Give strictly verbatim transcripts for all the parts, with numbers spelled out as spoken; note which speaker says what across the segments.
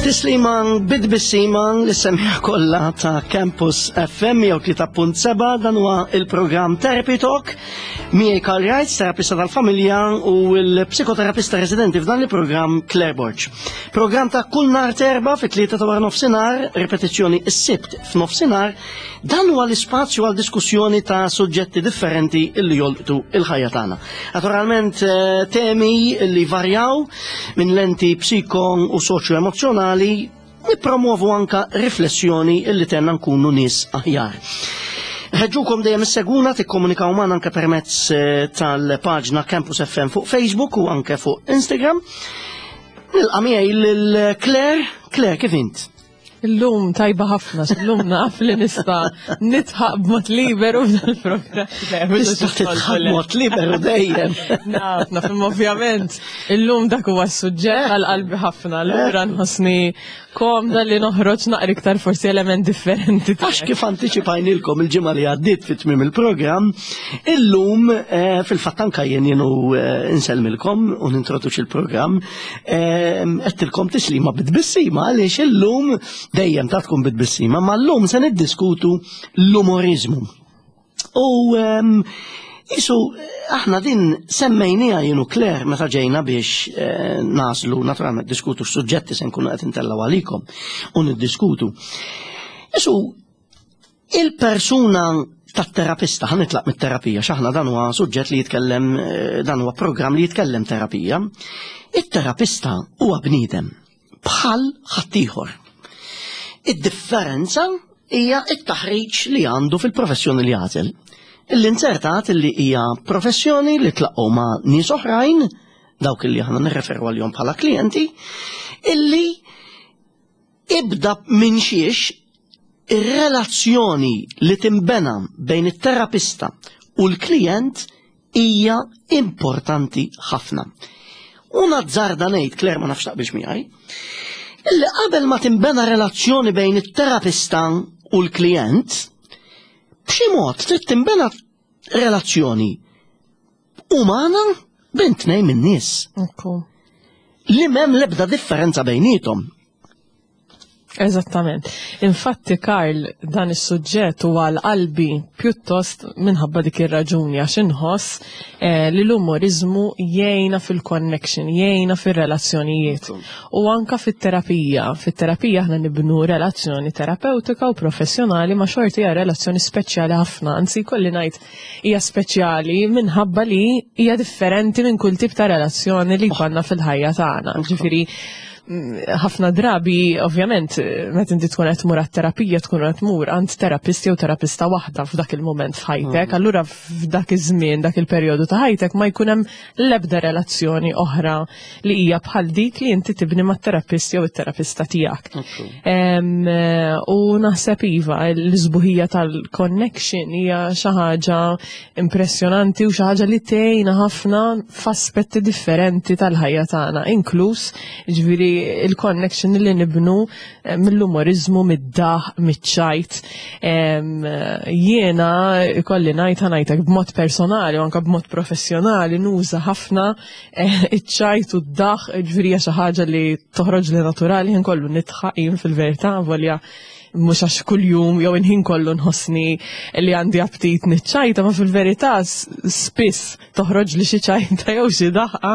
Speaker 1: Tislima bit-tbissima lis-semmiegħa kollha ta' Campus F M mija u tlieta punt seba'. Dan huwa il-programm Therapy Talk. Miegħi Karl Wright, terapista tal-familja, u l-psikoterapista residenti f'dan il-programm, Claire Borg. Programm ta' kull nhar t'Erbgħa fit-tlieta ta' wara nofsinhar, ripetizzjoni s-Sibt f'nofsinhar. Dan huwa l-ispazju għal diskussjoni ta' suġġetti differenti illi jolqtu il-ħajja tagħna. Naturalment eh, temi li varjaw minn lenti psiko u soċjo-emozjonali, nipromuovu anka riflessjoni illi tgħinna nkunu nies aħjar. Ħeġġukom dejjem issegwuna, tikkomunikaw magħna anke permezz eh, tal-paġna Campus F M fuq Facebook u anke fuq Instagram. Nilqa' miegħi lil Claire. Claire, kif int?
Speaker 2: Illum tajba ħafna, illum naf li nista' nidħaq b'mod liberu f'dan il-programm.
Speaker 1: Tista' tidħaq b'mod liberu dejjem.
Speaker 2: Naf, naf, imma ovvjament, illum dak huwa s-suġġett għal qalbi ħafna, allura nħossni komda li noħroġ naqra iktar forsi element differenti.
Speaker 1: Għax kif antiċipajnilkom il-ġimgħa li għaddiet fit tmiem il-programm, illum eh, fil-fatt anka jien jienu eh, insellmilkom u nintroduċi il-programm, eh, għedtilkom tislima bit-tbissima għaliex illum dejjem ta' tkun bit-tbissima, ma llum se niddiskutu l-umorizmu. U ehm, Isu, aħna din semmejnija jien u Claire meta ġejna biex eh, naslu, naturalment, diskutu x-suġġetti se nkunu qed intellaw għalikom u niddiskutu. Isu, il-persuna tat-terapista, ħa nitlaq mit-terapija, x'aħna dan huwa suġġett li jitkellem, eh, dan huwa programm li jitkellem terapija. Il-terapista huwa bniedem bħal ħaddieħor. Id-differenza hija it-taħriġ li għandu fil-professjoni li għażel. Illi inzertat illi hija professjoni li tlaqgħu ma' nies oħrajn, dawk illi aħna nirreferu għalihom bħala klijenti, illi ibda minn xiex ir-relazzjoni li timbena bejn it-terapista u l-klient hija importanti ħafna. U nazzarda ngħid, Claire, ma nafx taqbilx miegħi, illi qabel ma timbena relazzjoni bejn it-terapista u l-klient, b'xi mod trid timbena relazzjoni umana bejn tnejn minn nies
Speaker 2: Ekku.
Speaker 1: li m'hemm l-ebda differenza bejnietom.
Speaker 2: Eżattament. Infatti, Karl, dan is-suġġett huwa għal qalbi pjuttost minħabba dik ir-raġuni, għax inħoss eh, li l-umorizmu jgħinna fil-connection, jgħinna fir-relazzjonijiet. U anka fit-terapija. Fit-terapija aħna nibnu relazzjoni terapeutika u professjonali, ma xorti hija relazzjoni speċjali ħafna, anzi kolli ngħid hija speċjali minħabba li hija differenti minn kull tip ta' relazzjoni li jkollna fil-ħajja tagħna. Ġifieri mm, ħafna drabi, ovvjament, meta inti tkun qed tmur għat-terapija, tkun qed tmur għand terapist jew terapista waħda f'dak il-mument f'ħajtek, allura f'dak iż-żmien, dak il-perjodu ta' ħajtek ma jkun hemm l-ebda relazzjoni oħra li hija bħal dik li inti tibni mat-terapist jew it-terapista tiegħek. Em, eh, U naħseb iva, l-isbuħija tal-connection hija xi ħaġa impressjonanti u xi ħaġa li tgħinna ħafna f'aspetti differenti tal-ħajja tagħna, inkluż ġifieri il-connection li nibnu eh, mill-umorizmu, mid-daħk, miċ-ċajt. Em, eh, Jiena ikolli ngħid, ħa ngħidlek, b'mod personali u anke b'mod professjonali nuża ħafna eh, iċ-ċajt u d-daħk, ġifieri hija xi ħaġa li toħroġ li naturali, ħin kollu nidħaq jien fil-verità, volja mhux għax kuljum jew inħin kollu nħossni li għandi aptit niċċajta, ma fil-verità s- spiss toħroġ li xi ċajta jew xi daħqa.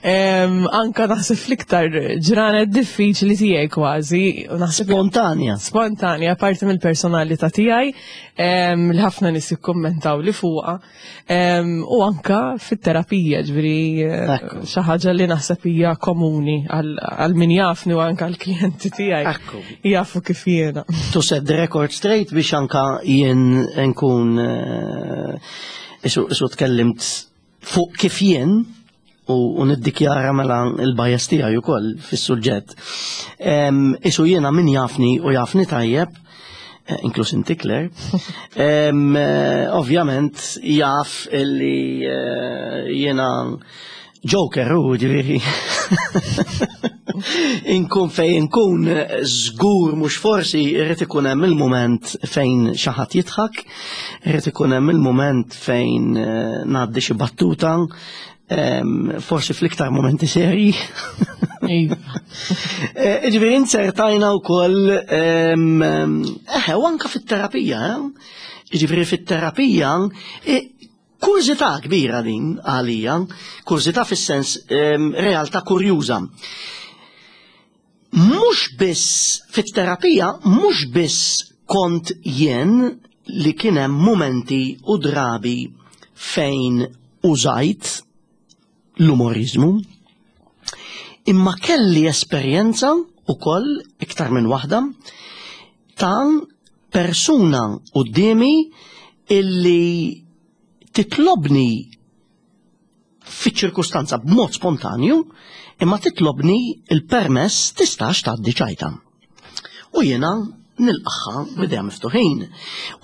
Speaker 2: Em, Anka naħseb fl-iktar ġranet diffiċli tiegħi kważi. U naħseb
Speaker 1: Spontanja.
Speaker 2: Spontanja, parti mill-personalità tiegħi em, li ħafna nies jikkummentaw li fuqha. Em, U anka fit-terapija, ġifieri eh,
Speaker 1: Ekku.
Speaker 2: xi ħaġa li naħseb hija komuni għal għal min jafni u anka għall-klijenti tiegħi.
Speaker 1: Ekku.
Speaker 2: Jafu kif jiena.
Speaker 1: To set the record straight, biex anka jien nkun eh, isu, isu tkellimt fuq kif jien u, u niddikjara mela il-bias tiegħi ukoll fis-suġġett. Em, Isu jiena min jafni u jafni tajjeb, eh, inkluż inti, Claire, em, eh, ovvjament jaf illi eh, jiena joker u ġifieri inkun fej inkun, żgur mhux forsi irrid ikun hemm il-mument fejn xi ħadd jidħak, irrid ikun hemm il-mument fejn eh, ngħaddi xi battuta, em, forsi fl-iktar momenti seri.
Speaker 2: Iva.
Speaker 1: Eh, Ġifieri insertajna wkoll eħe, u anka fit-terapija, eh? Ġifieri fit-terapija, eh, kurżità kbira din għalija, kurżità fis-sens em, realtà kurjuża. Mhux biss fit-terapija, mhux biss kont jien li kien hemm momenti u drabi fejn użajt l-umorizmu, imma kelli esperjenza ukoll iktar minn waħda ta' persuna quddiemi illi titlobni fiċ-ċirkustanza b'mod spontanju, imma titlobni il-permess tistax tgħaddi ċajta. U jiena nilqagħha b'idejja miftuħin.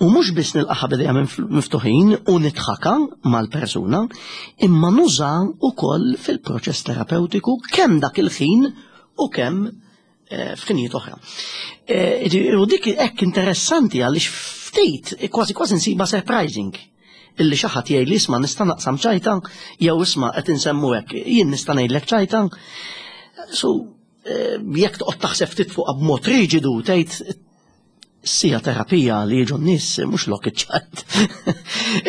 Speaker 1: U mhux biss nilqagħha b'idejja miftuħin u nidħakha mal-persuna, imma nuża ukoll fil-proċess terapeutiku kemm dak il-ħin u kemm eh, f'ħinijiet oħra. Eh, U dik hekk interessanti għaliex ftit, kważi kważi nsiba surprising illi xi ħadd jgħid li isma' nista' naqsam ċajta jew isma' qed insemmu hekk, jien nista' ngħidlek ċajta. So, eh, jekk toqgħod taħseb ftit fuqha b'mod riġidu tgħid sija terapija li jiġu n-nies mhux lok iċ-ċajt.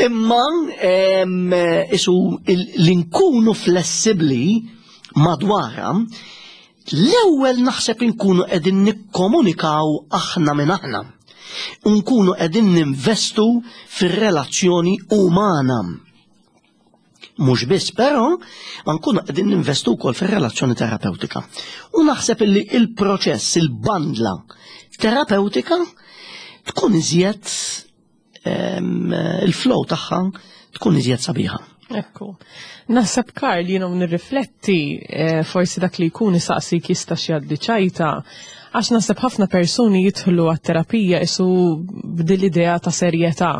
Speaker 1: Imma em, isu il- li nkunu flessibbli madwarha, l-ewwel naħseb inkunu qegħdin nikkomunikaw aħna minn aħna. Nkunu qegħdin ninvestu fir-relazzjoni umana. Mhux biss, però, ma nkunu qegħdin ninvestu wkoll fir-relazzjoni terapeutika. U naħseb illi il-proċess, il-bandla terapeutika tkun iżjed em, il-flow tagħha tkun iżjed sabiħa.
Speaker 2: Ekku. Naħseb Karl, jiena nirrifletti eh, forsi dak li jkun isaqsik jista' jgħaddi ċajta, għax naħseb ħafna persuni jidħlu għat-terapija isu b'dil idea ta' serjetà,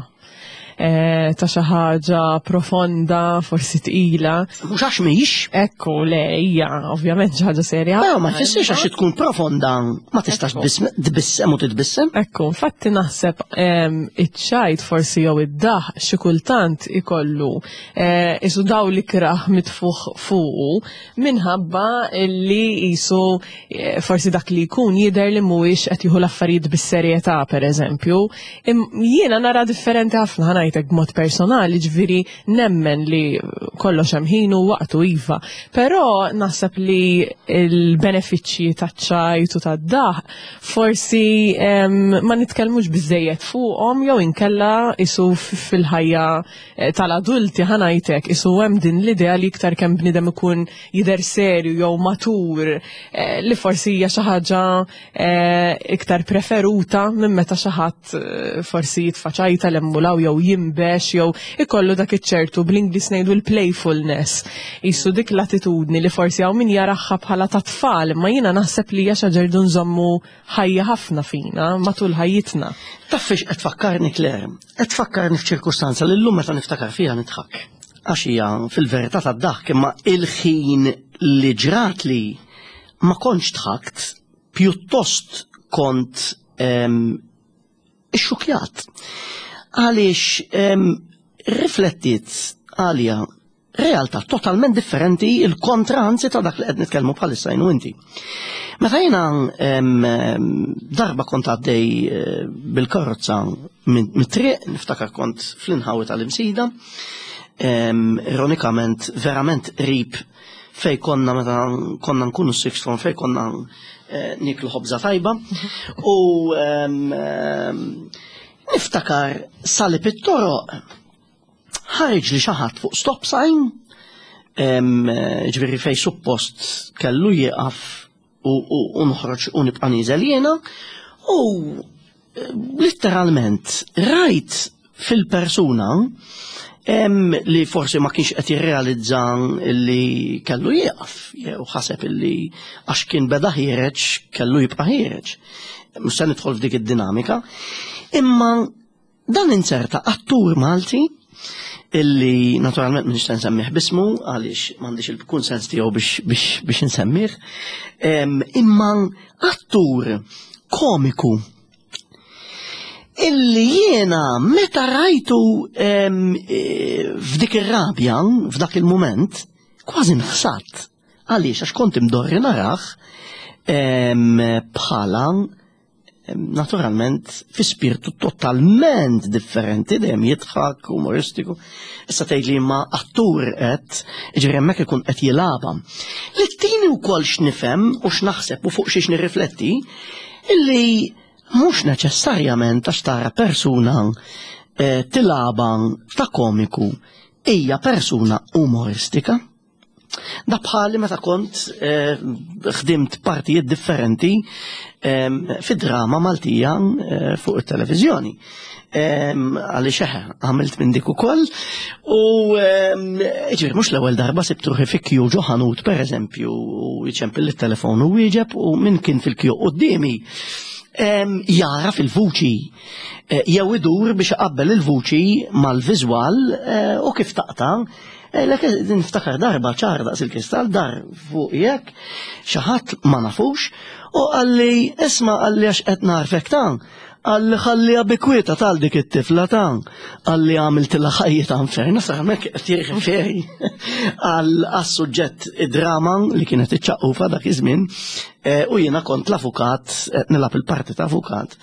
Speaker 2: eh, ta' xi ħaġa profonda, forsi tqila.
Speaker 1: Mhux għax mhix,
Speaker 2: Ekku, le, hija ovvjament xi ħaġa serja.
Speaker 1: però ma jfissirx għax tkun profonda ma tistax
Speaker 2: Ekku.
Speaker 1: tbissem u titbissem.
Speaker 2: Ekku, infatti naħseb em, iċ-ċajt forsi jew id-daħk xi kultant ikollu eh, isu daw li kraħ mitfuħ fuqu minħabba li isu eh, forsi dak li jkun jidher li mhuwiex qed jieħu l-affarijiet bis-serjetà pereżempju. Im- Jiena nara differenti ħafna ħa ngħidlek b'mod personali, ġifieri nemmen li kollox hemm ħinu waqtu iva. Però naħseb li il-benefiċċji taċ-ċajt u tad-daħk forsi em, ma nitkellmux biżejjed fuqhom jew inkella isu f- fil-ħajja eh, tal-adulti ħa ngħidlek isu hemm din l-idea li iktar kemm bniedem ikun jidher serju jew matur eh, li forsi hija xi ħaġa eh, iktar preferuta minn meta xi ħadd eh, forsi jitfa' ċajta l-emmulaw jew jimbex jew ikollu dak iċ-ċertu bl-Ingliż ngħidu l-playfulness. Isu dik l-attitudni li forsi hawn min jaraha bħala ta' tfal, imma jiena naħseb li hija xi ħaġa rridu nżommu ħajja ħafna fina matul ħajjitna.
Speaker 1: Taf fiex qed tfakkarni Claire, qed tfakkarni f'ċirkustanza li llum meta niftakar fiha nidħak. Għax hija fil-verità tad-daħk imma il-ħin li ġrat li ma kontx dħakt, pjuttost kont em, ixxukjat. Għaliex em, riflettiet għalija realtà totalment differenti il-kontra anzi ta' dak li qed nitkellmu bħalissa jien u inti. Meta jiena em, em, darba kont għaddej eh, bil-karozza minn mit-triq, niftakar kont fl-inħawi tal-Imsida, em, ironikament verament qrib fej konna meta konna nkunu sixth form fej konna eh, niklu ħobza tajba u em, em, niftakar salib it-toroq ħareġ li xi ħadd fuq stop sign em, eh, ġifieri fej suppost kellu jieqaf u, u, u noħroġ u nibqa' nieżel jiena u eh, letteralment rajt fil-persuna em, li forsi ma kienx qed jirrealizza li kellu jieqaf jew ħaseb illi għax kien beda ħiereġ kellu jibqa' ħiereġ. Mhux se nidħol f'dik id-dinamika. Imma dan inserta attur Malti illi naturalment m'iniex se nsemmih bismu għaliex m'għandix il-kunsens tiegħu biex biex biex insemmih. Em, Imma attur komiku illi jiena meta rajtu em, eh, f'dik ir-rabja, f'dak il-moment, kważi nħsadt. Għaliex? Għax kont imdorri narah em, bħala em, naturalment fi spirtu totalment differenti, dejjem jidħak, umoristiku. Issa tgħid li ma attur qed, ġifieri hemmhekk ikun qed jilgħabha. Li tini wkoll x'nifhem u x'naħseb u fuq xiex nirrifletti, illi mhux neċessarjament għax tara persuna eh, tilgħabha ta' komiku hija persuna umoristika. Da bħali meta kont eh, ħdimt partijiet differenti eh, fi drama Maltija eh, fuq it-televiżjoni. Għaliex eħe, għamilt minn dik ukoll u ġifieri mhux l-ewwel darba sibt ruħi fi kju ġo ħanut, pereżempju, u jċempel it-telefon u wieġeb, u min kien fil-kju quddiemi jara fil-vuċi eh, jew idur biex iqabbel il-vuċi mal-viżwal eh, u kif taqta'. Eh, lek niftakar darba ċar daqs il-kristall, dar fuq jekk xi ħadd ma nafux u qalli, "Isma'," qalli, "għax qed narfek ta'," qalli, "ħalliha bi kwietha tal dik it-tifla ta'," qalli, "għamiltilha ħajjitha infern." Hemmhekk qed jirreferi għal suġġett drama li kienet iċċaqqufa dak iż-żmien eh, u jiena kont l-avukat, nilgħab il-parti ta' avukat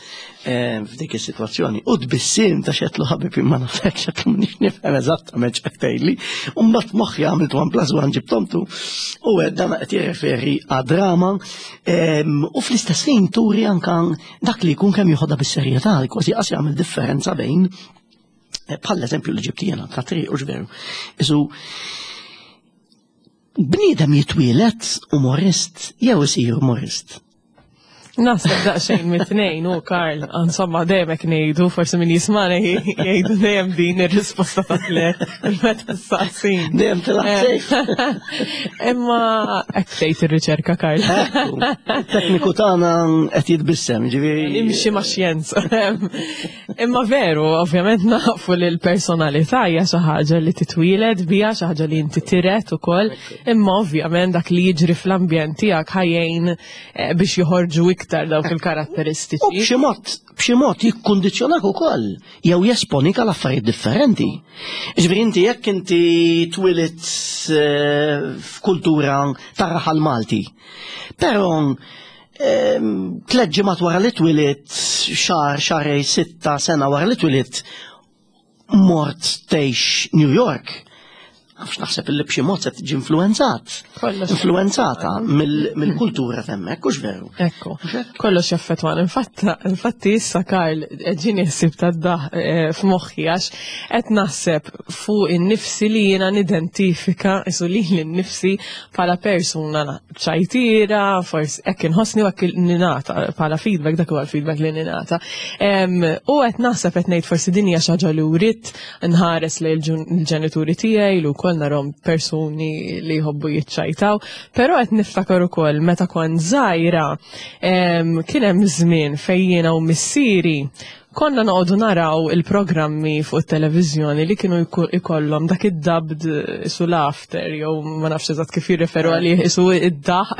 Speaker 1: eh, f'dik is-sitwazzjoni. U tbissim ta' xetlu, "Ħabib, ma nafekx," xetlu, "m'iniex nifhem eżattament x'qed tgħidli." U mbagħad moħħi għamilt one plus one ġibthom two u dan qed jirreferi għad-drama u fl-istess ħin turi anka dak li jkun kemm joħodha bis-serjetà, kważi qas jagħmel differenza bejn eh, bħal eżempju li ġibt jiena ta' triq u ġveru. Isu bniedem jitwielet umorist jew isir umorist?
Speaker 2: Naħseb daqsxejn mit-tnejn, u Karl, insomma, dejjem hekk ngħidu, forsi min jismana jgħidu dejjem din ir-risposta ta' tliet meta saqsin.
Speaker 1: Dejjem tilgħab safe.
Speaker 2: Imma hekk tgħid ir-riċerka, Karl.
Speaker 1: Tekniku tagħna qed jitbissem, ġifieri.
Speaker 2: Nimxi ma' xjenza. Imma veru, ovvjament nafu li l-personalità hija xi ħaġa li titwieled biha, xi ħaġa li inti tiret ukoll, imma ovvjament dak li jiġri fl-ambjent tiegħek ħa jgħin eh, biex joħorġu iktar dawk il-karatteristiċi.
Speaker 1: U b'xi mod, b'xi mod jikkundizzjonak ukoll jew jesponik għal affarijiet differenti. Ġifieri inti jekk inti twilidt eh, f'kultura tar-raħal Malti. Però ehm, tliet ġimgħat wara li twilidt, xahar, xahrejn, sitta, sena wara li twilidt, mort tgħix New York. Għax naħseb illi b'xi mod se tiġi influenzat.
Speaker 2: Kollox.
Speaker 1: Influenzata mill- mill-kultura t'hemmhekk, hux veru?
Speaker 2: Ekku, kollox jaffettwan. Infatta, infatti issa, Karl, ġieni ħsieb ta' daħ eh, f'moħħi għax qed naħseb fuq in-nifsi li jiena nidentifika isu li l-nifsi bħala persuna ċajtira, forsi hekk inħossni u hekk ningħata bħala feedback, dak huwa l-feedback li ningħata. Em, U qed naħseb, qed ngħid forsi din hija xi ħaġa li writt nħares lejn il-ġenituri tiegħi li wkoll narhom persuni li jħobbu jiċċajtaw, però qed niftakar ukoll meta kont żgħira em, kien hemm żmien fejn jiena u missieri konna noqogħdu naraw il-programmi fuq it-televiżjoni li kienu jku- ikollhom dak id-dubbed isu laughter jew ma nafx eżatt kif jirreferu għalih, isu id-daħ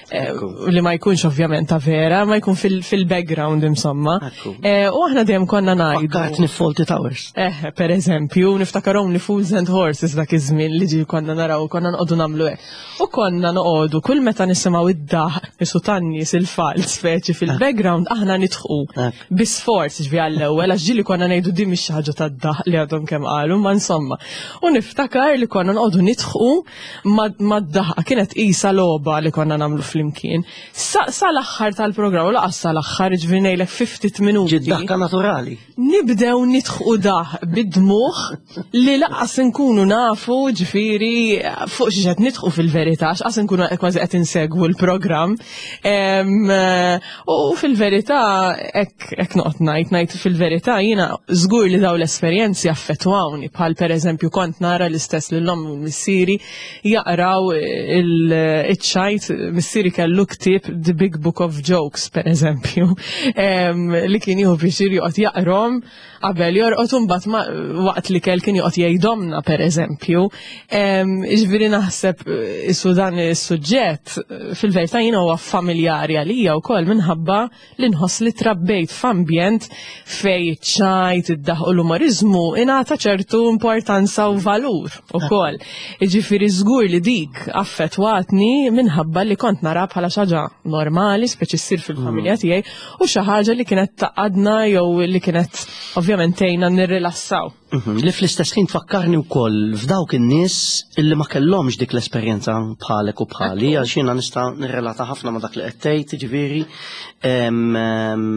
Speaker 2: eh, li ma jkunx ovvjament ta' vera, ma jkun fil- fil-background insomma.
Speaker 1: Ekku.
Speaker 2: Eh, U aħna dejjem konna ngħidu.
Speaker 1: Fakkartni Fawlty Towers.
Speaker 2: Eh, per eżempju, niftakar Only Fools and Horses dak iż-żmien li ġi konna naraw, konna noqogħdu nagħmlu hekk. U konna noqogħdu kull meta nisimgħu id-daħ isu tan-nies il-fal speċi fil-background, aħna nidħqu.
Speaker 1: Ekku.
Speaker 2: Bi sforz ġvi għall-ewwel, għax ġieli konna ngħidu din mhix xi ħaġa tad-daħ li għadhom kemm qalu, ma insomma. U niftakar li konna noqogħdu nidħqu mad-daħqa, kienet qisha logħba li konna nagħmlu flimkien. Sa sal-aħħar tal-programm, u lanqas sal-aħħar, ġifieri ngħidlek ftit minuti.
Speaker 1: Ġid daħka naturali.
Speaker 2: Nibdew nidħqu daħ bid-dmugħ li lanqas nkunu nafu ġifieri fuq xi qed nidħqu fil-verità, x'qas nkunu kważi qed insegwu l-programm. Em, U fil-verità hekk hekk noqgħod ngħid ngħid fil-verità jiena żgur li daw l-esperjenzi affettwawni, bħal pereżempju kont nara l-istess lil ommi u missieri jaqraw il-ċajt, missieri kellu ktieb The Big Book of Jokes, per eżempju, em, li kien jieħu pjaċir joqgħod jaqrom qabel jorqod u mbagħad ma- waqt li kell kien joqgħod jgħidhomna, per eżempju. Em, Ġifieri naħseb eh, isu dan is-suġġett eh, fil-verità jiena huwa familjari għalija wkoll minħabba li nħoss li trabbejt f'ambjent Fejn ċajt, id-daħk u l-umorizmu ingħata ċertu importanza u valur ukoll. Jiġifieri żgur li dik affettwatni minħabba li kont nara bħala xi ħaġa normali, speċi ssir fil-familja tiegħi, u xi ħaġa li kienet tgħaqqadna jew li kienet ovvjament tgħinna nirrilassaw.
Speaker 1: Mhm, Li fl-istess ħin tfakkarni wkoll f'dawk in-nies illi ma kellhomx dik l-esperjenza bħalek u bħali, għax jiena nista' nirrelata ħafna ma' dak li qed tgħid, jiġifieri em, em,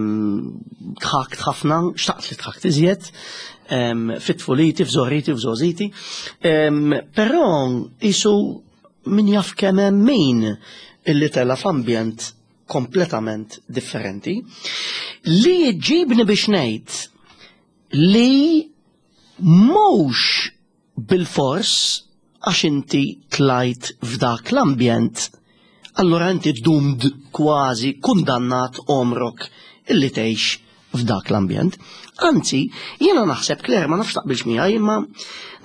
Speaker 1: dħakt ħafna, xtaqt li dħakt iżjed, em, fit-tfuliti, f'żgħoriti, f'żgħożiti. Em, Però qisu min jaf kemm hemm min illi tela' f'ambjent kompletament differenti li jġibni biex ngħid li mhux bil-fors għax inti tlajt f'dak l-ambjent, allura inti doomed, kważi kundannat għomrok illi tgħix f'dak l-ambjent. Anzi, jiena naħseb, Claire, ma nafx taqbilx miegħi, imma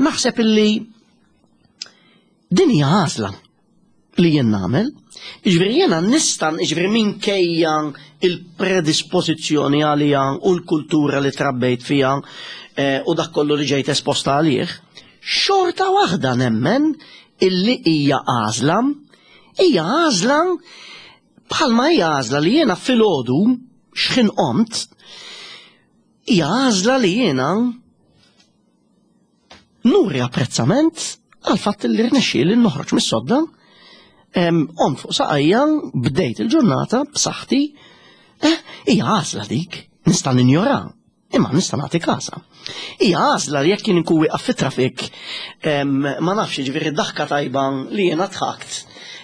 Speaker 1: naħseb illi din hija għażla li jien nagħmel. Jiġifieri jiena nista', jiġifieri minkejja il-predispożizzjoni għalija u l-kultura li trabbejt fija eh, u dak kollu li ġejt esposta għalih, xorta waħda nemmen illi hija għażla, hija għażla bħalma hija għażla li jiena filgħodu x'ħin qomt, hija għażla li jiena nuri apprezzament għal fatt li rnexxieli noħroġ mis-sodda, qomt fuq saqajja, bdejt il-ġurnata b'saħħti, eh, hija għażla dik, nista' ninjora, imma nista' nagħti kasa. Hija għażla li jekk jien inkun wieqaf fit-traffic, ma nafx, ġifieri daħka tajba li jiena dħakt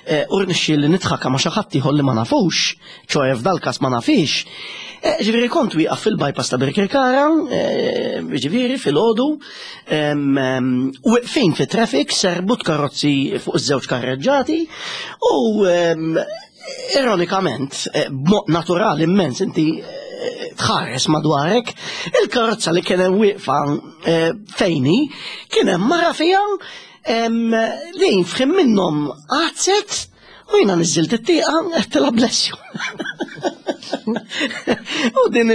Speaker 1: eh, u rnexxieli nidħaka ma' xi ħadd ieħor li ma nafux, ċoè f'dal-każ ma nafix. Eh, ġifieri kont wieqaf fil-bypass ta' Birkirkara, eh, ġifieri filgħodu, wieqfin fit-traffic, serbut karozzi fuq iż-żewġ karreġġati u ironikament, b'mod naturali immens, inti tħares madwarek, il-karozza li kien hemm wieqfa fejni, kien hemm mara fiha li f'ħin minnhom għaddset u jiena niżilt it-tieqa għedtilha "Bless you". U din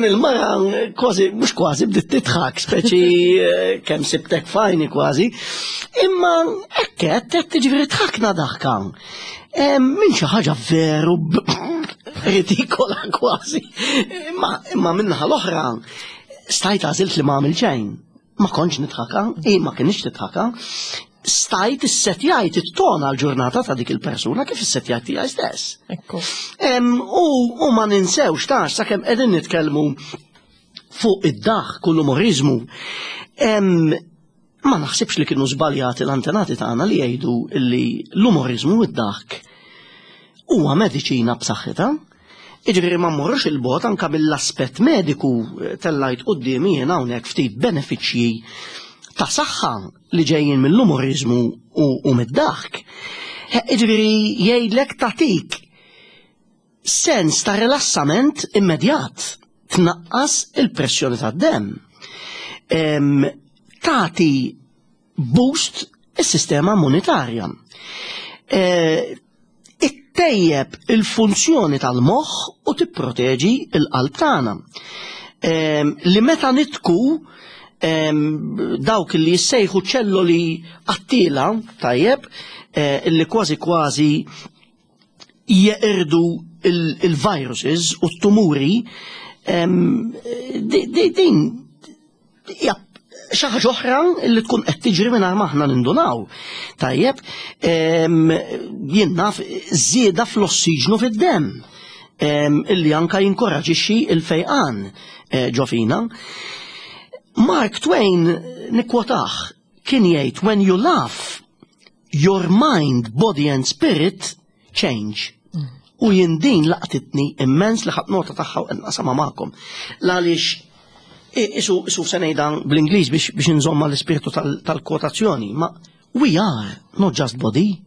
Speaker 1: il-mara kważi, mhux kważi, bdiet tidħak, speċi kemm sibtek fajni kważi. Imma ekket, qed ġifieri dħakna daħka. Minn xi ħaġa veru ridikola kważi. Imma imma min-naħa l-oħra stajt għażilt li ma għamil xejn. Ma kontx nidħaka, i ma kienx tidħaka. Stajt issetjajt it-ton għal-ġurnata ta' dik il-persuna kif issetjajt tiegħi stess.
Speaker 2: Ekku.
Speaker 1: U, u ma ninsewx tax sakemm qegħdin nitkellmu fuq id-daħk u l-umorizmu. Ma naħsibx li kienu żbaljati l-antenati tagħna li jgħidu li l-umorizmu u id-daħk huwa mediċina b'saħħitha. Jiġifieri ma mmorrux 'il bogħod anka mill-aspett mediku, tellajt quddiemi jien hawnhekk ftit benefiċċji ta' saħħa li ġejjin mill-umorizmu u, u mid-daħk. Jiġifieri jgħidlek tatik sens ta' rilassament immedjat, tnaqqas il-pressjoni tad-dem. Tati boost is-sistema immunitarja. E, Ittejjeb il-funzjoni tal-moħħ u tipproteġi il-qalb tagħna. Li meta nidħku, dawk li jissejħu ċelloli qattila, tajjeb, eh, illi kważi kważi jeqirdu il-viruses u t-tumuri, din hija xi ħaġa oħra li tkun qed tiġri mingħajr ma aħna nindunaw. Tajjeb, jien naf żieda fl-ossiġnu fid-demm illi anka jinkoraġixxi il-fejqan eh, ġo fina. Mark Twain, nikkwotah, kien jgħid, "When you laugh, your mind, body and spirit change." U jien din laqtitni immens li ħadt nota tagħha u naqsamha magħkom. Għaliex isu isu se ngħidha bl-Ingliż biex biex inżomma l-ispirtu tal-kwotazzjoni, ma we are not just body,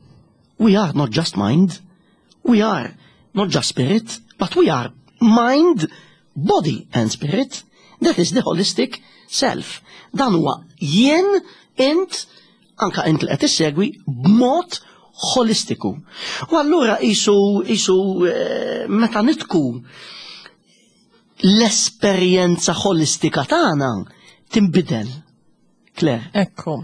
Speaker 1: we are not just mind, we are not just spirit, but we are mind, body and spirit. That is the holistic self. Dan huwa jien, int, anka int li qed issegwi b'mod holistiku. U allura isu isu eh, meta nidħku L-esperjenza ħolistika tagħna tinbidel. Claire.
Speaker 2: Ekku.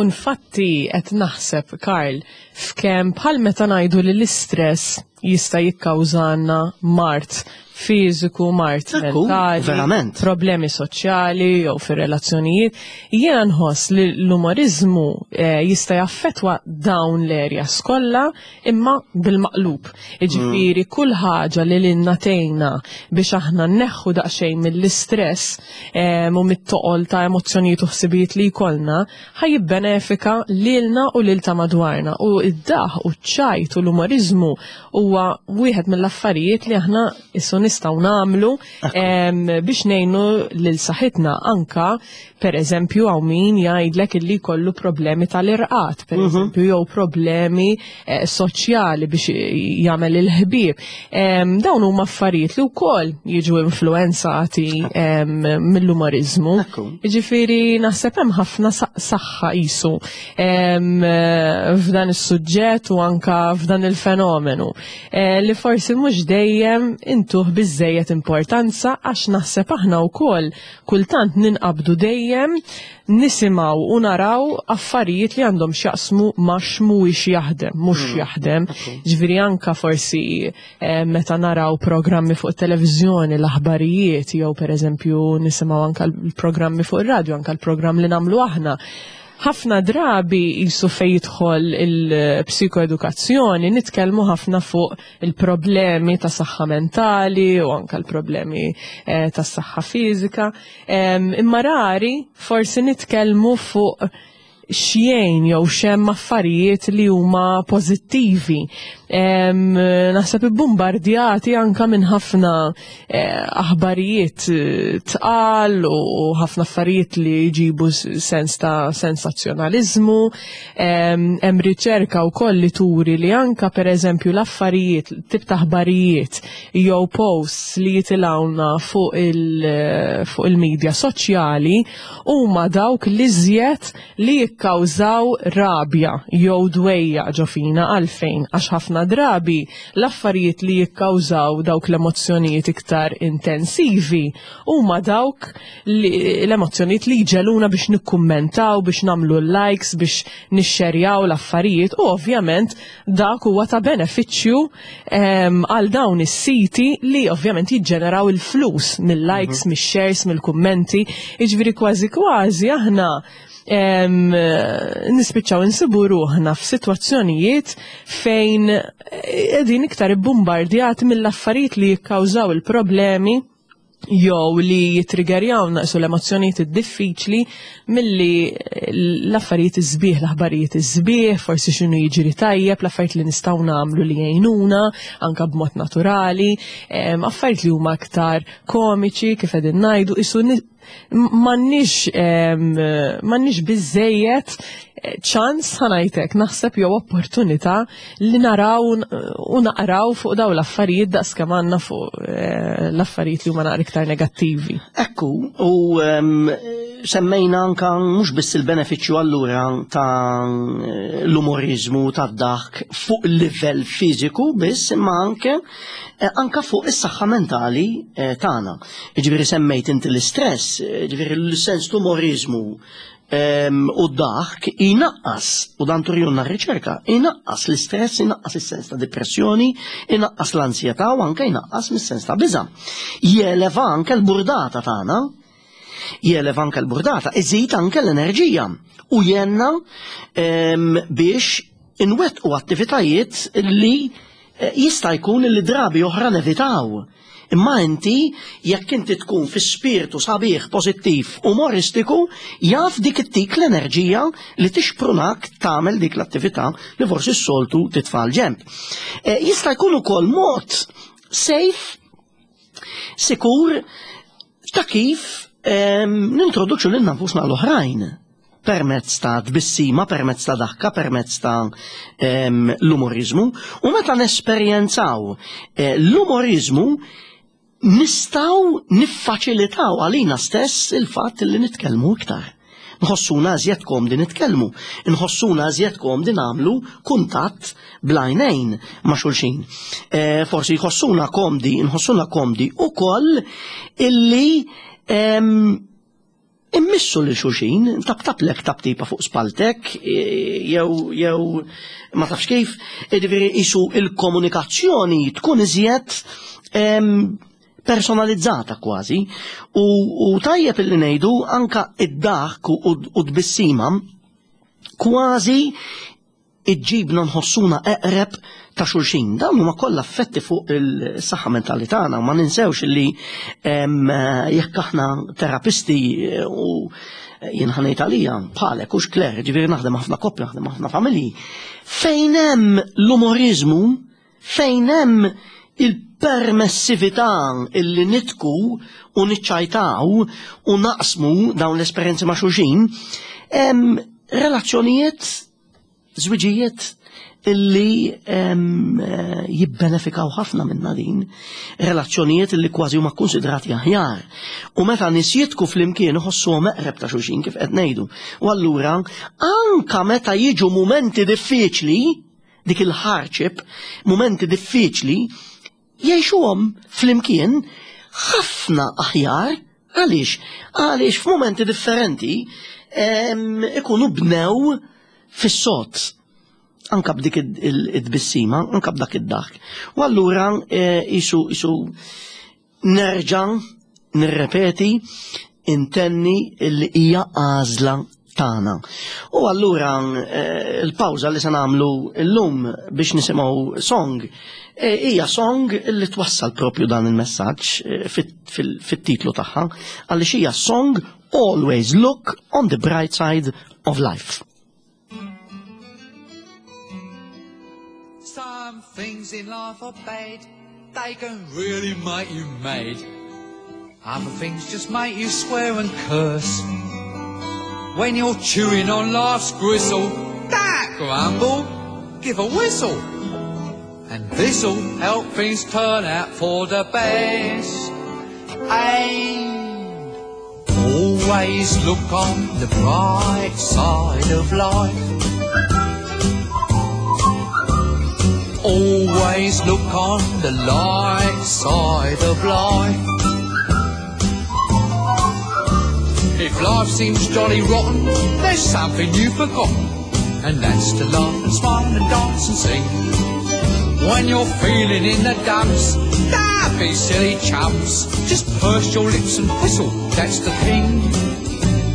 Speaker 2: Infatti qed naħseb, Karl, f'kemm bħal meta ngħidu li l-istress jista' jikkawżana mard fiżiku, mard mentali,
Speaker 1: verament.
Speaker 2: Problemi soċjali jew fir-relazzjonijiet, jiena nħoss li l-umorizmu eh, jista' jaffettwa dawn l-areas kollha, imma bil-maqlub. Jiġifieri mm. kull ħaġa li lilna tgħinna biex aħna nneħħu daqsxejn mill-istress eh, u mit-toqol ta' emozzjonijiet u ħsibijiet li jkollna, ħa jibbenefika lilna u lil ta' madwarna. U id-daħk u ċ-ċajt u l-umorizmu huwa wieħed mill-affarijiet li aħna issu nistgħu nagħmlu biex ngħinu lil saħħitna. Anka per eżempju hawn min jgħidlek illi jkollu problemi tal-irqad, per mhm. eżempju, jew problemi eh, soċjali biex jagħmel il-ħbieb. Dawn huma affarijiet li wkoll jiġu influenzati mill-umorizmu. Jiġifieri naħseb hemm ħafna saħħa qisu f'dan is-suġġett u anka f'dan il-fenomenu eh, li forsi mhux dejjem intuh biżejjed importanza, għax naħseb aħna wkoll kultant ninqabdu dejjem nisimgħu u naraw affarijiet li għandhom x'jaqsmu ma' x'mhuwiex jaħdem, mhux mm. jaħdem. Ġifieri anka forsi eh, meta naraw programmi fuq televiżjoni, l-aħbarijiet, jew pereżempju nisimgħu anka l-programmi fuq ir-radju, anka l-programm li nagħmlu aħna, ħafna drabi qisu fej jidħol il-psikoedukazzjoni nitkellmu ħafna fuq il-problemi ta' saħħa mentali u anka l-problemi eh, ta' saħħa fiżika. Imma rari forsi nitkellmu fuq x'jgħin jew x'hemm affarijiet li huma pożittivi. Naħseb ibbombardjati anka minn ħafna eh, aħbarijiet eh, tqal u ħafna affarijiet li jġibu sens ta' sensazzjonaliżmu. Hemm riċerka wkoll li turi li anka pereżempju l-affarijiet, tip ta' aħbarijiet jew posts li jitilgħuna fuq il-medja soċjali huma dawk li żjed li jikkawżaw rabja jew dwejja ġo fina. Għalfejn? Għax ħafna drabi l-affarijiet li jikkawżaw dawk l-emozzjonijiet iktar intensivi huma dawk l-emozzjonijiet li jġegħluna biex nikkummentaw, biex nagħmlu likes, biex nixxerjaw l-affarijiet, u ovvjament dak huwa ta' benefiċċju għal dawn is-siti li ovvjament jiġġeneraw il-flus mill-likes, mhm. mix-shares, mill-kummenti. Jiġifieri kważi kważi aħna nispiċċaw insibu ruħna f'sitwazzjonijiet fejn qegħdin iktar ibbombardjati mill-affarijiet li jikkawżaw il-problemi jew li jitriggerjaw naqsu l-emozzjonijiet id-diffiċli milli l-affarijiet iż-sbieħ, l-aħbarijiet iż-sbieħ, forsi x'inhu jiġri tajjeb, l-affarijiet li nistgħu nagħmlu li jgħinuna anka b'mod naturali, affarijiet li huma aktar komiċi, kif qegħdin ngħidu, qisu m'għandniex m'għandniex biżejjed ċans, ħa ngħidlek, naħseb, jew opportunità li naraw u naqraw fuq daw l-affarijiet daqs kemm għandna fuq eh, l-affarijiet li huma naqra iktar negattivi.
Speaker 1: Ekku, u semmejna anka mhux biss il-benefiċċju allura ta' l-umorizmu, ta' daħk fuq il-livell fiżiku biss, imma anke eh, anka fuq is-saħħa mentali eh, tagħna. Ġifieri semmejt inti l-istress, ġifieri l-sens umoriżmu u d-daħk inaqqas, u dan turjunna r-riċerka, inaqqas l-istress, inaqqas is-sens ta' depressjoni, inaqqas l-ansjetà u anke inaqqas mis-sens ta' biża'. Jeleva anke l-burdata tagħna, jeleva anke l-burdata, iżid anke l-enerġija u jgħinna biex inwettqu attivitajiet li eh, jista' jkun li drabi oħra nevitaw. Imma inti, jekk inti tkun fi spiritu sabiħ, pożittiv, umoristiku, jaf dik ittik l-enerġija li tixprunak tagħmel dik l-attività li forsi s-soltu titfa' l-ġenb. E, jista' jkun ukoll mod safe, sikur, ta' kif nintroduċu lil nfusna l-oħrajn permezz ta' tbissima, permezz ta' daħka, permezz ta' l-umorizmu. U meta nesperjenzaw eh, l-umorizmu, nistgħu niffaċilitaw għalina stess il-fatt li nitkellmu iktar. Nħossuna iżjed komdi nitkellmu, nħossuna iżjed komdi nagħmlu kuntatt bl-għajnejn ma' xulxin. E, forsi jħossuna komdi, nħossuna komdi ukoll illi em, immissu lil xulxin, taptaplek taptipa fuq spaltek, e, jew jew ma tafx kif, jiġifieri isu il-komunikazzjoni tkun iżjed em, personalizzata kważi u, u tajjeb illi ngħidu anka id-daħk u, u tbissima kważi iġġibna nħossuna eqreb ta' xulxin. Dawn huma kollha effetti fuq il-saħħa mentali tagħna, ma ninsewx li em, jekk aħna terapisti eh, u jien ħa ngħid għalija bħalek hux Claire, ġifieri naħdem ħafna koppja, naħdem ħafna familji. Fejn hemm l-umorizmu, fejn hemm il-permessività illi nidħku u niċċajtaw u naqsmu dawn l-esperjenzi ma' xulxin, hemm relazzjonijiet, żwiġijiet illi em, eh, jibbenefikaw ħafna minna din, relazzjonijiet illi kważi huma konsidrati aħjar. U meta nies jidħku flimkien iħossuhom eqreb ta' xulxin kif qed ngħidu. U allura anka meta jiġu mumenti diffiċli, dik il-hardship, mumenti diffiċli, jgħixuhom flimkien ħafna aħjar. Għaliex? Għaliex f'mumenti differenti em, ikunu bnew fis-sod. Anka b'dik id-tbissima, anka b'dak id-daħk. U allura eh, isu isu nerġa' nirrepeti intenni li hija għażla tagħna. U allura eh, il-pawża li se nagħmlu llum biex nisimgħu song eh, hija song li twassal propju dan il-messaġġ eh, fit-titlu tagħha għaliex hija song Always Look on the Bright Side of Life.
Speaker 3: Some things in life are bad, they can really make you mad. Other things just make you swear and curse. When you're chewing on life's gristle, don't grumble, give a whistle. And this'll help things turn out for the best. And always look on the bright side of life. Always look on the light side of life. If life seems jolly rotten, there's something you've forgotten, and that's to laugh and smile and dance and sing. When you're feeling in the dumps, don't be silly chumps. Just purse your lips and whistle, that's the thing.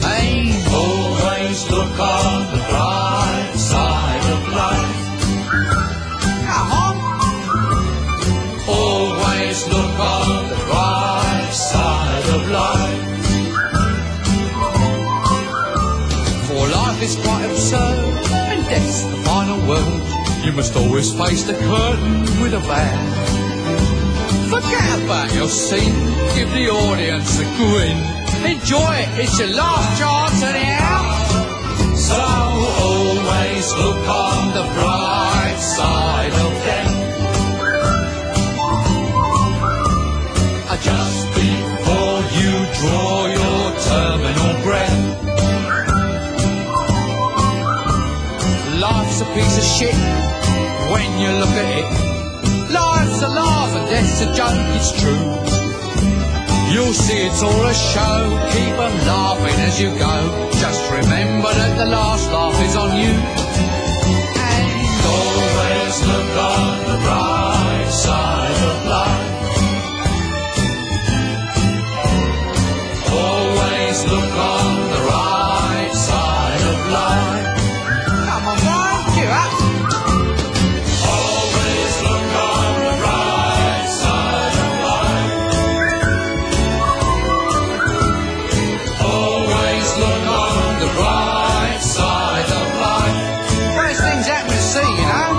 Speaker 3: And always look on the bright side of life. Come on. Always look on the bright side of life. For life is quite absurd, and death's the final word. You must always face the curtain with a bow. Forget about your scene, give the audience a grin. Enjoy it, it's your last chance anyhow. So always look on the bright side of death. Just before you draw your terminal breath. Life's a piece of shit when you look at it. Life's a laugh and death's a joke, it's true. You'll see it's all a show, keep 'em laughing as you go. Just remember that the last laugh is on you. And always look on the bright side of life. Always look on the right side of life. Come on, Brian, cheer up. Always look on the bright side of life. Always look on the bright side of life. Those things happen to see, you know.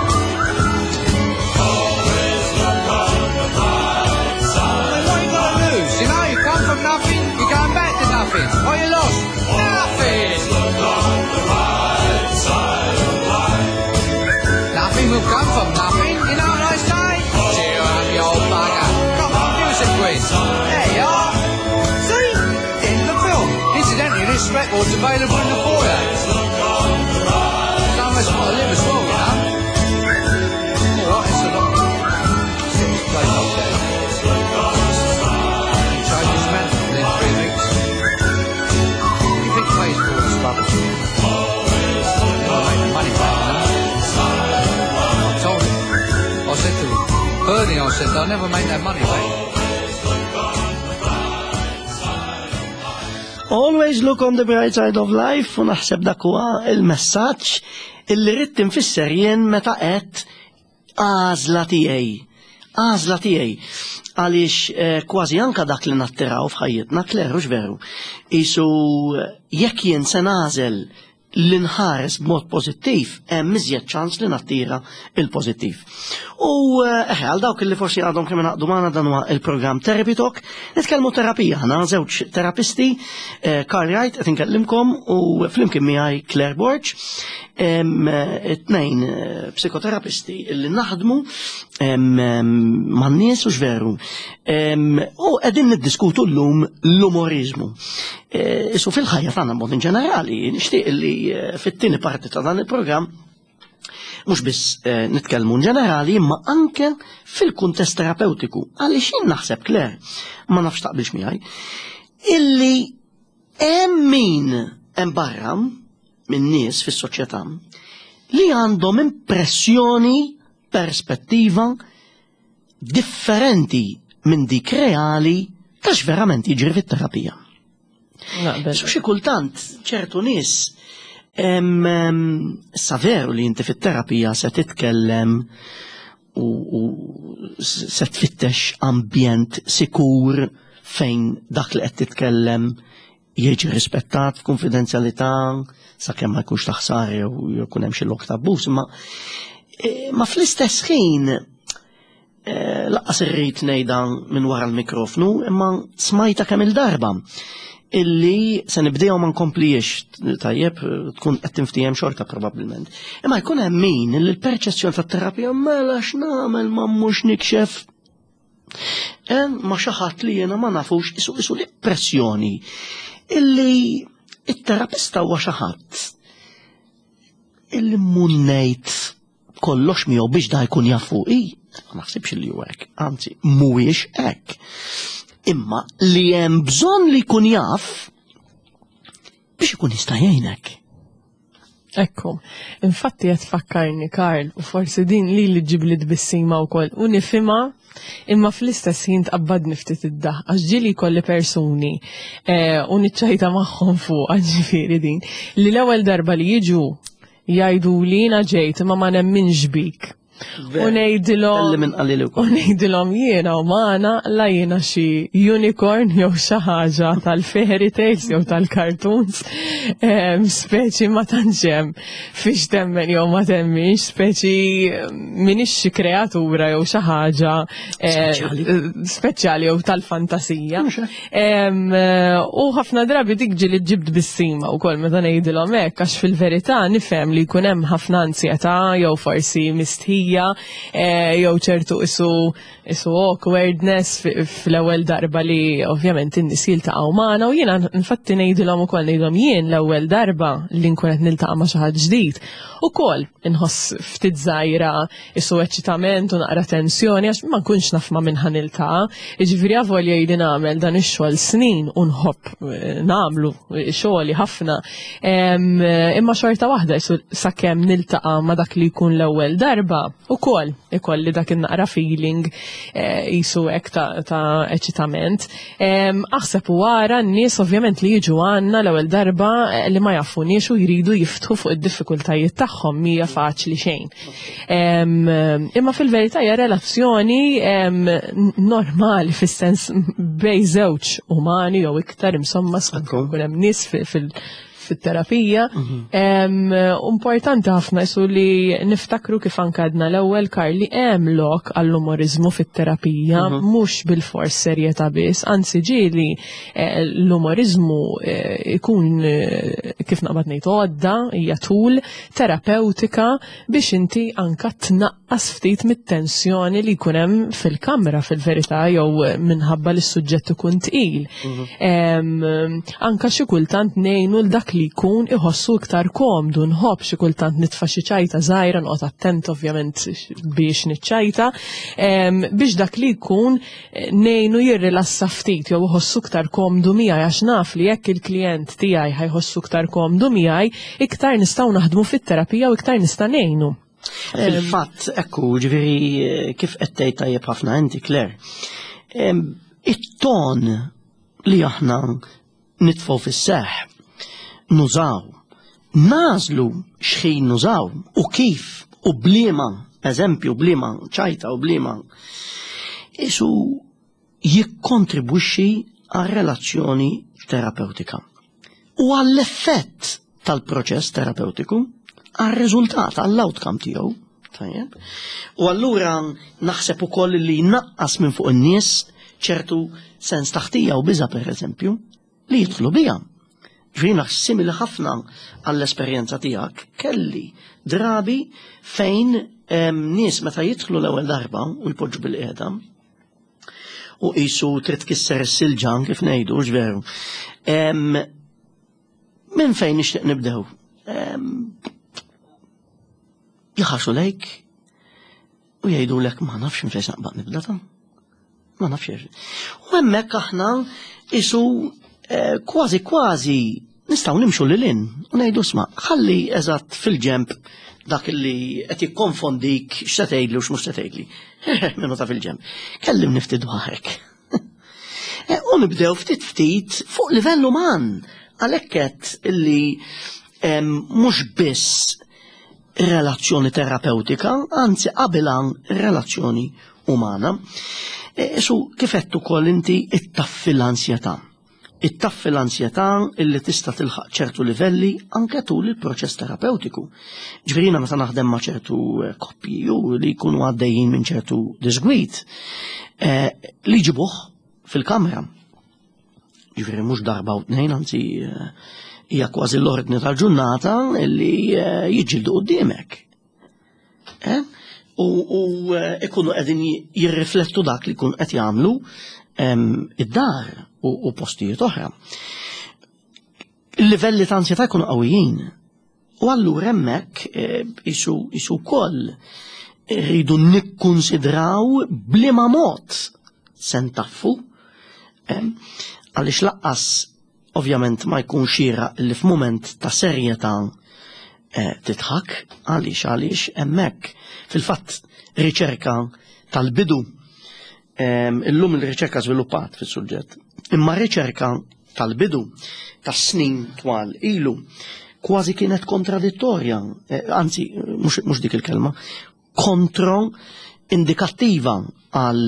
Speaker 3: Always look on the bright side. What you gotta lose, you know? You come from nothing, you're going back to nothing. What you lost? record's available in the foyer. Some of us got to live as well, you know. All right, it's a lot. Set this place up there. He changed his mantle within three weeks. What do you think pays for all this rubbish? Never make the money back, you know. I told him. I said to him, Bernie, I said, they'll never make that money back.
Speaker 1: Always look on the bright side of life, u naħseb dak huwa il-messaġġ illi rrid tinfisser jien meta qed għażla tiegħi. Għażla tiegħi. Għaliex eh, kważi anka dak li nattiraw f'ħajjitna, Claire, hux veru. Isu jekk jien se nagħżel li nħares b'mod pożittiv, hemm iżjed ċans li nattira il-pożittiv. U eħe, għal dawk li forsi għadhom kemm ingħaqdu magħna, dan huwa il-programm Therapy Talk, nitkellmu terapija, aħna żewġ terapisti, eh, Karl Wright qed inkellimkom u flimkien miegħi Claire Borg, em, it-tnejn eh, psikoterapisti li naħdmu em, em, man-nies u x'veru. Em, U qegħdin niddiskutu llum l-umorizmu. Eh, Isu fil-ħajja tagħna b'mod in ġenerali, nixtieq li eh, fit-tieni parti ta' dan il-programm mhux biss eh, nitkellmu in ġenerali, imma anke fil-kuntest terapeutiku. Għaliex jien naħseb, Claire, ma nafx taqbilx miegħi, illi hemm min hemm barra minn nies fis-soċjetà li għandhom impressjoni, perspettiva differenti minn dik reali ta' x'verament jiġri fit-terapija.
Speaker 2: Naqbel.
Speaker 1: Su xi kultant ċertu nies em, em, sa veru li inti fit-terapija se titkellem u, u se tfittex ambjent sikur fejn dak li qed titkellem jiġi rispettat f'konfidenzjalità sakemm ma jkunx taħsar jew jkun hemm xi lok ta' abbuż, imma eh, ma fl-istess ħin eh, lanqas irrid ngħidha minn wara l-mikrofnu, imma smajta kemm il-darba illi se nibdew ma nkompliex, tajjeb, tkun qed tinftiehem xorta probabbilment. Imma jkun hemm min illi l-perċezzjoni tat-terapija mela x'nagħmel ma mhux nikxef Hemm ma xi ħadd li jiena ma nafux isu isu l-impressjoni illi it-terapista huwa xi ħadd illi munnejt kollox miegħu biex da jkun jaf fuqi. Ma naħsibx li hu hekk, anzi mhuwiex hekk. Imma li hemm bżonn li jkun jaf biex ikun jista' jgħinek.
Speaker 2: Ekku, infatti qed tfakkarni Karl, u forsi din li li ġibli tbissima wkoll u nifhimha, imma fl-istess ħin tqabbadni ftit id-daħ, għax ġieli jkolli persuni eh, u niċċajta magħhom fuq ġifieri din, li l-ewwel darba li jiġu jgħidu li jiena ġejt imma ma nemminx bik. U ngħidilhom
Speaker 1: Kelli min qalli li
Speaker 2: U
Speaker 1: wkoll.
Speaker 2: ngħidilhom jiena u magħna la jiena xi unicorn jew xi ħaġa tal-fairy tales jew tal-cartoons, em, speċi ma tantx hemm fiex temmen jew ma temminx, speċi m'iniex xi kreatura jew xi ħaġa eh,
Speaker 1: Speċjali.
Speaker 2: eh, speċjali jew tal-fantasija.
Speaker 1: Mhux hekk.
Speaker 2: Em, eh, U ħafna drabi dik ġieli ġibt tbissima wkoll meta ngħidilhom hekk, għax fil-verità nifhem li jkun hemm ħafna ansjetà jew forsi mistħija eh, jew ċertu isu isu awkwardness fi- fl-ewwel darba li ovvjament in-nies jiltaqgħu magħna, u jiena infatti ngħidilhom ukoll, ngħidilhom jien l-ewwel darba li nkun qed niltaqa' ma' xi ħadd ġdid ukoll inħoss ftit żgħira isu eċitament u naqra tensjoni għax ma nkunx naf ma' min ħa niltaqa'. Jiġifieri avolja jien nagħmel dan ix-xogħol snin u nħobb eh, nagħmlu xogħli ħafna, em, imma xorta waħda isu sakemm niltaqa' ma' dak li jkun l-ewwel darba ukoll ikolli dak in-naqra feeling eh, jisu hekk ta', ta' eċitament. Em, Aħseb u wara n-nies ovvjament li jiġu għandna l-ewwel darba eh, li ma jafuniex u jridu jiftħu fuq id-diffikultajiet tagħhom, mhija faċli xejn. Em, Imma fil-verità hija relazzjoni em, normali fis-sens bejn żewġ umani jew iktar, insomma, skont
Speaker 1: Ekku.
Speaker 2: ikun hemm nies fil- fil- fit-terapija. Em, Importanti ħafna jisu li niftakru kif anke għedna l-ewwel, Karl, li hemm lok għall-umorizmu fit-terapija, mhux bil-fors serjetà biss, anzi ġieli eh, l-umorizmu eh, ikun eh, kif naqbad ngħid, għodda, hija tool terapeutika biex inti anka tnaqqas ftit mit-tensjoni li jkun hemm fil-kamra fil-verità jew minħabba li s-suġġett ikun tqil. Em, Anka xi kultant ngħinu l dak li jkun iħossu iktar komdu, nħobb xi kultant nitfa' xi ċajta żgħira, noqgħod attent ovvjament biex niċċajta, em, biex dak li jkun eh, ngħinu jirrilassa ftit jew iħossu iktar komdu miegħi, għax naf li jekk il-klient tiegħi ħa jħossu iktar komdu miegħi, iktar nistgħu naħdmu fit-terapija u iktar nista' ngħinu.
Speaker 1: Fil-fatt, ekku, ġifieri, kif qed tgħid tajjeb ħafna inti, Claire. Em, It-ton li aħna nitfgħu fis-seħ, nużaw, nagħżlu x'ħin nużaw u kif u b'liema, eżempju, b'liema ċajta u b'liema, isu jikkontribwixxi għal relazzjoni terapeutika u għall-effett tal-proċess terapeutiku, għal-riżultat, għall-outcome tiegħu. Tajjeb. U allura naħseb ukoll li naqqas minn fuq in-nies ċertu sens ta' ħtija u biża, per eżempju, li jidħlu bija. Ġifieri simili ħafna għall-esperjenza tiegħek, kelli drabi fejn em, nies meta jidħlu l-ewwel darba u jpoġġu bil-qiegħda u qisu trid tkisser is-silġan, kif ngħidu, veru. Em, Minn fejn nixtieq nibdew? Em, Jħarsu lejk u jgħidu lek: "Ma nafx minn fejn naqbad nibda ta'. Ma nafx." U hemmhekk aħna isu eh, kważi kważi nistgħu nimxu lil hinn u ngħidu: "Sma', ħalli eżatt fil-ġemp dak li qed jikkonfondik x'se tgħidli u x'mhux se tgħidli. Minnu ta' fil-ġemp. Kellimni ftit dwarek." Eh, U nibdew ftit ftit fuq livell uman. Għalhekk qed illi em, mhux biss relazzjoni terapeutika, anzi qabilha relazzjoni umana. E, Su kif qed ukoll inti, ittaffi l-ansjetà. Ittaffi l-ansjetà illi tista' tilħaq ċertu livelli anke tul il-proċess terapeutiku. Ġifieri meta naħdem ma' ċertu eh, koppji u li jkunu għaddejjin minn ċertu disgwid, eh, li jġibuh fil-kamra. Ġifieri mhux darba u tnejn, anzi eh, hija kważi l-ordni tal-ġurnata illi eh, jiġġieldu quddiemek. Eh? U, u eh, ikunu qegħdin jirriflettu dak li jkun qed jagħmlu em, id-dar u, u postijiet oħra. Il-livelli ta' ansjetà jkunu qawwijin. U allura hemmhekk eh, isu isu wkoll rridu nikkonsidraw b'liema mod se ntaffu, em, għaliex lanqas ovvjament ma jkun xieraq li f'mument ta' serjetà eh, tidħak, għaliex għaliex hemmhekk fil-fatt riċerka tal-bidu, em, illum il-riċerka żviluppat fis-suġġett, imma riċerka tal-bidu tas-snin twal ilu kważi kienet kontradittorja, eh, anzi mhux mhux dik il-kelma, kontro indikattiva għal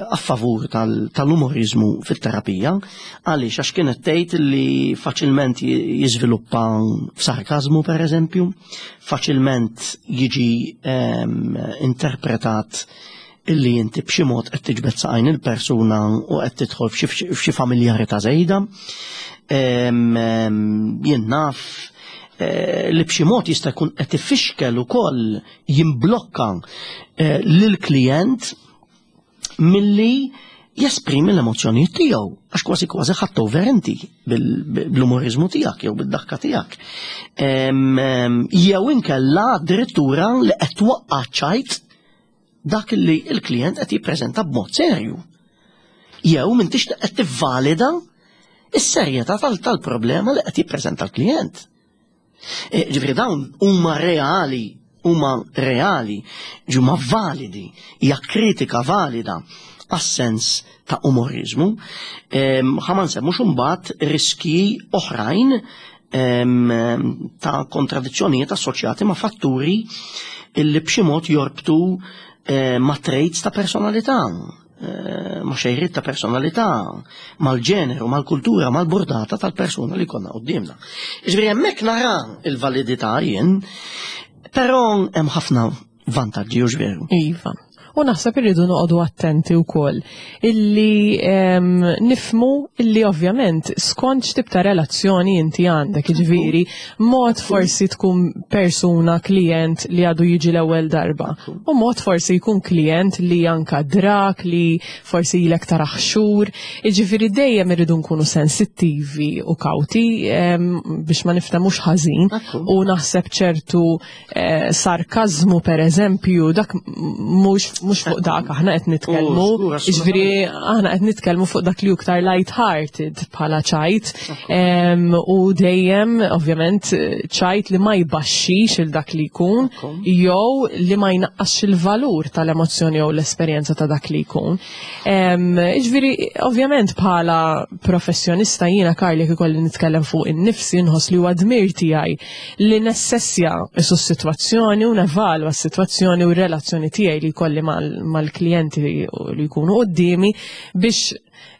Speaker 1: a favur tal- tal-umorizmu fit-terapija, għaliex? Għax kienet tgħid li faċilment ji- jiżviluppa f'sarkazmu, per eżempju, faċilment jiġi em, interpretat illi inti b'xi mod qed tiġbed saqajn il-persuna u qed tidħol f'xi f'xi familjarità żejda. Em, em, Jien naf eh, li b'xi mod jista' jkun qed ifixkel ukoll jimblokka eh, lill-klijent milli jesprimi l-emozjonijiet tiegħu, għax kważi kważi ħadt over inti bil- bl-umorizmu tiegħek jew bid-daħka tiegħek. Em, em, Jew inkella addirittura li qed twaqqa' ċajt dak li il-klient qed jippreżenta b'mod serju. Jew m'intix qed tivvalida is-serjetà tal- tal-problema li qed jippreżenta l-klient. E, Ġifieri dawn huma reali, huma reali, huma validi, hija kritika valida għas-sens ta' umorizmu. Ħa ma nsemmux imbagħad riski oħrajn em, ta' kontradizzjonijiet assoċjati ma' fatturi illi b'xi mod jorbtu eh, ma' traits ta' personalità. eh, ma' xejriet ta' personalità, mal-ġeneru, mal-kultura, mal-burdata tal-persuna li konna quddiemna. Ġifieri hemmhekk nara il-validità jien, però hemm ħafna vantaġġi, hux veru?
Speaker 2: Iva. U naħseb irridu noqogħdu attenti wkoll illi em, nifhmu illi ovvjament skont x'tip ta' relazzjoni inti għandek, jiġifieri mod forsi tkun persuna klient li għadu jiġi l-ewwel darba. U mod forsi jkun klient li anka drak li forsi ilek tarah xhur, jiġifieri dejjem irridu nkunu sensittivi u kawti em, biex ma niftemux ħażin.
Speaker 1: Ekku.
Speaker 2: U naħseb ċertu eh, sarkazmu, per eżempju, dak mhux mhux fuq dak aħna qed nitkellmu,
Speaker 1: Oh, żgur,
Speaker 2: jiġifieri aħna qed nitkellmu fuq dak li iktar light-hearted bħala ċajt. Em, u dejjem ovvjament ċajt li ma jbaxxix il dak li jkun
Speaker 1: Ekku.
Speaker 2: jew li ma jnaqqasx il-valur tal-emozzjoni jew l-esperjenza ta' dak li jkun. Em, Jiġifieri ovvjament bħala professjonista jiena, Karli, ikolli nitkellem fuq innifsi, nħoss li huwa dmir tiegħi li nassessja s-sitwazzjoni u nevalwa s-sitwazzjoni u r-relazzjoni tiegħi li jkolli mal- mal-klijenti li jkunu quddiemi biex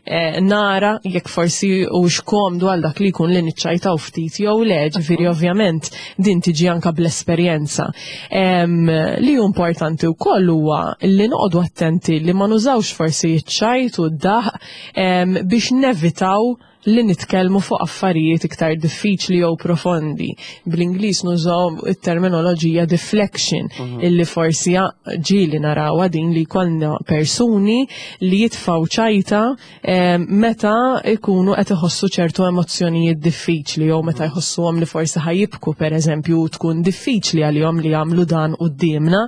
Speaker 2: eh, nara jekk forsi hux komdu għal dak li jkun li niċċajtaw ftit jew le, ġifieri ovvjament din tiġi anka bl-esperjenza. Em, Li hu importanti wkoll huwa li noqogħdu attenti li ma nużawx forsi iċ-ċajt u d-daħ em, biex nevitaw li nitkellmu fuq affarijiet iktar diffiċli jew profondi. Bl-Ingliż nużaw it-terminoloġija deflection, illi forsi ġieli narawha din li jkollna persuni li jitfaw ċajta em, meta ikunu qed iħossu ċertu emozzjonijiet diffiċli jew meta jħossuhom li forsi ħa jibku, per eżempju, tkun diffiċli għalihom li jagħmlu dan quddiemna.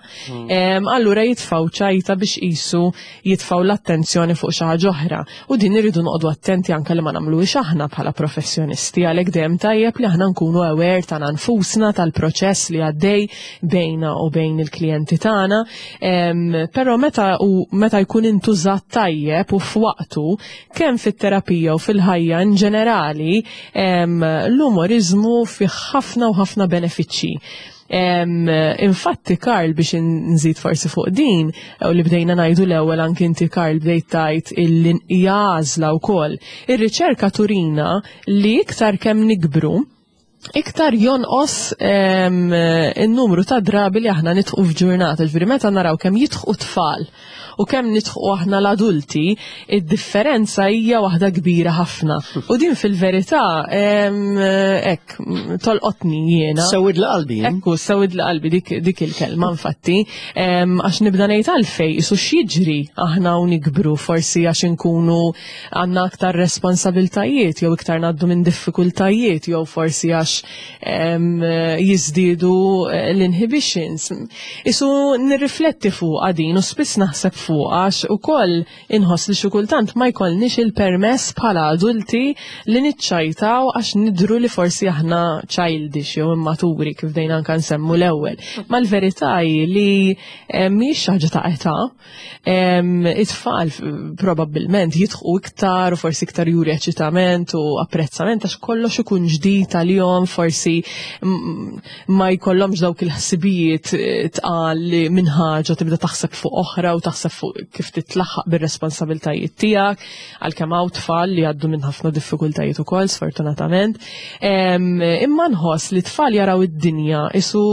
Speaker 2: Em, Allura jitfaw ċajta biex qisu jitfaw l-attenzjoni fuq xi ħaġa oħra. U din irridu noqogħdu attenti anke li ma nagħmluhiex aħna bħala professjonisti, għalhekk dejjem tajjeb li aħna nkunu aware tagħna nfusna, tal-proċess li għaddej bejna u bejn il-klijenti tagħna. Em, Però meta u meta jkun intużat tajjeb u f'waqtu, kemm fit-terapija u fil-ħajja in ġenerali, em, l-umorizmu fih ħafna u ħafna benefiċċji. Em, infatti Karl, biex nżid forsi fuq din, u li bdejna ngħidu l-ewwel, anki inti, Karl, bdejt tgħid illi hija għażla wkoll. Ir-riċerka turina li iktar kemm nikbru, iktar jonqos em, in-numru ta' drabi li aħna nidħku f'ġurnata. Ġifieri meta naraw kemm jidħku tfal u kemm nidħku aħna l-adulti, id-differenza hija waħda kbira ħafna. U din fil-verità em, hekk tolqotni jiena.
Speaker 1: Sewwid l-qalbi.
Speaker 2: Ekku, sewwid l-qalbi dik, dik il-kelma infatti, em, għax nibda ngħid għalfej, qisu x'jiġri aħna u nikbru, forsi għax inkunu għandna aktar responsabiltajiet, jew iktar ngħaddu minn diffikultajiet, jew forsi għax em, jiżdiedu eh, l-inhibitions. Qisu nirrifletti fuq din u spiss naħseb fuq għax ukoll inħoss li xi kultant ma jkollniex il-permess bħala adulti li niċċajtaw għax nidru li forsi aħna childish jew immaturi, kif bdejna anka nsemmu l-ewwel. Ma l-verità hi li eh, mhix ħaġa ta' età. Em, It-tfal f- probabbilment jidħku iktar u forsi iktar juri eċitament u apprezzament għax kollox ikun ġdid għalihom, forsi mm, ma jkollhomx dawk il-ħsibijiet eh, tqal li minn ħaġa tibda taħseb fuq oħra u taħseb fuq kif titlaħħaq bir-responsabiltajiet tiegħek, għalkemm hawn tfal li għaddu minn ħafna diffikultajiet ukoll, sfortunatament. Em, Imma nħoss li tfal jaraw id-dinja qisu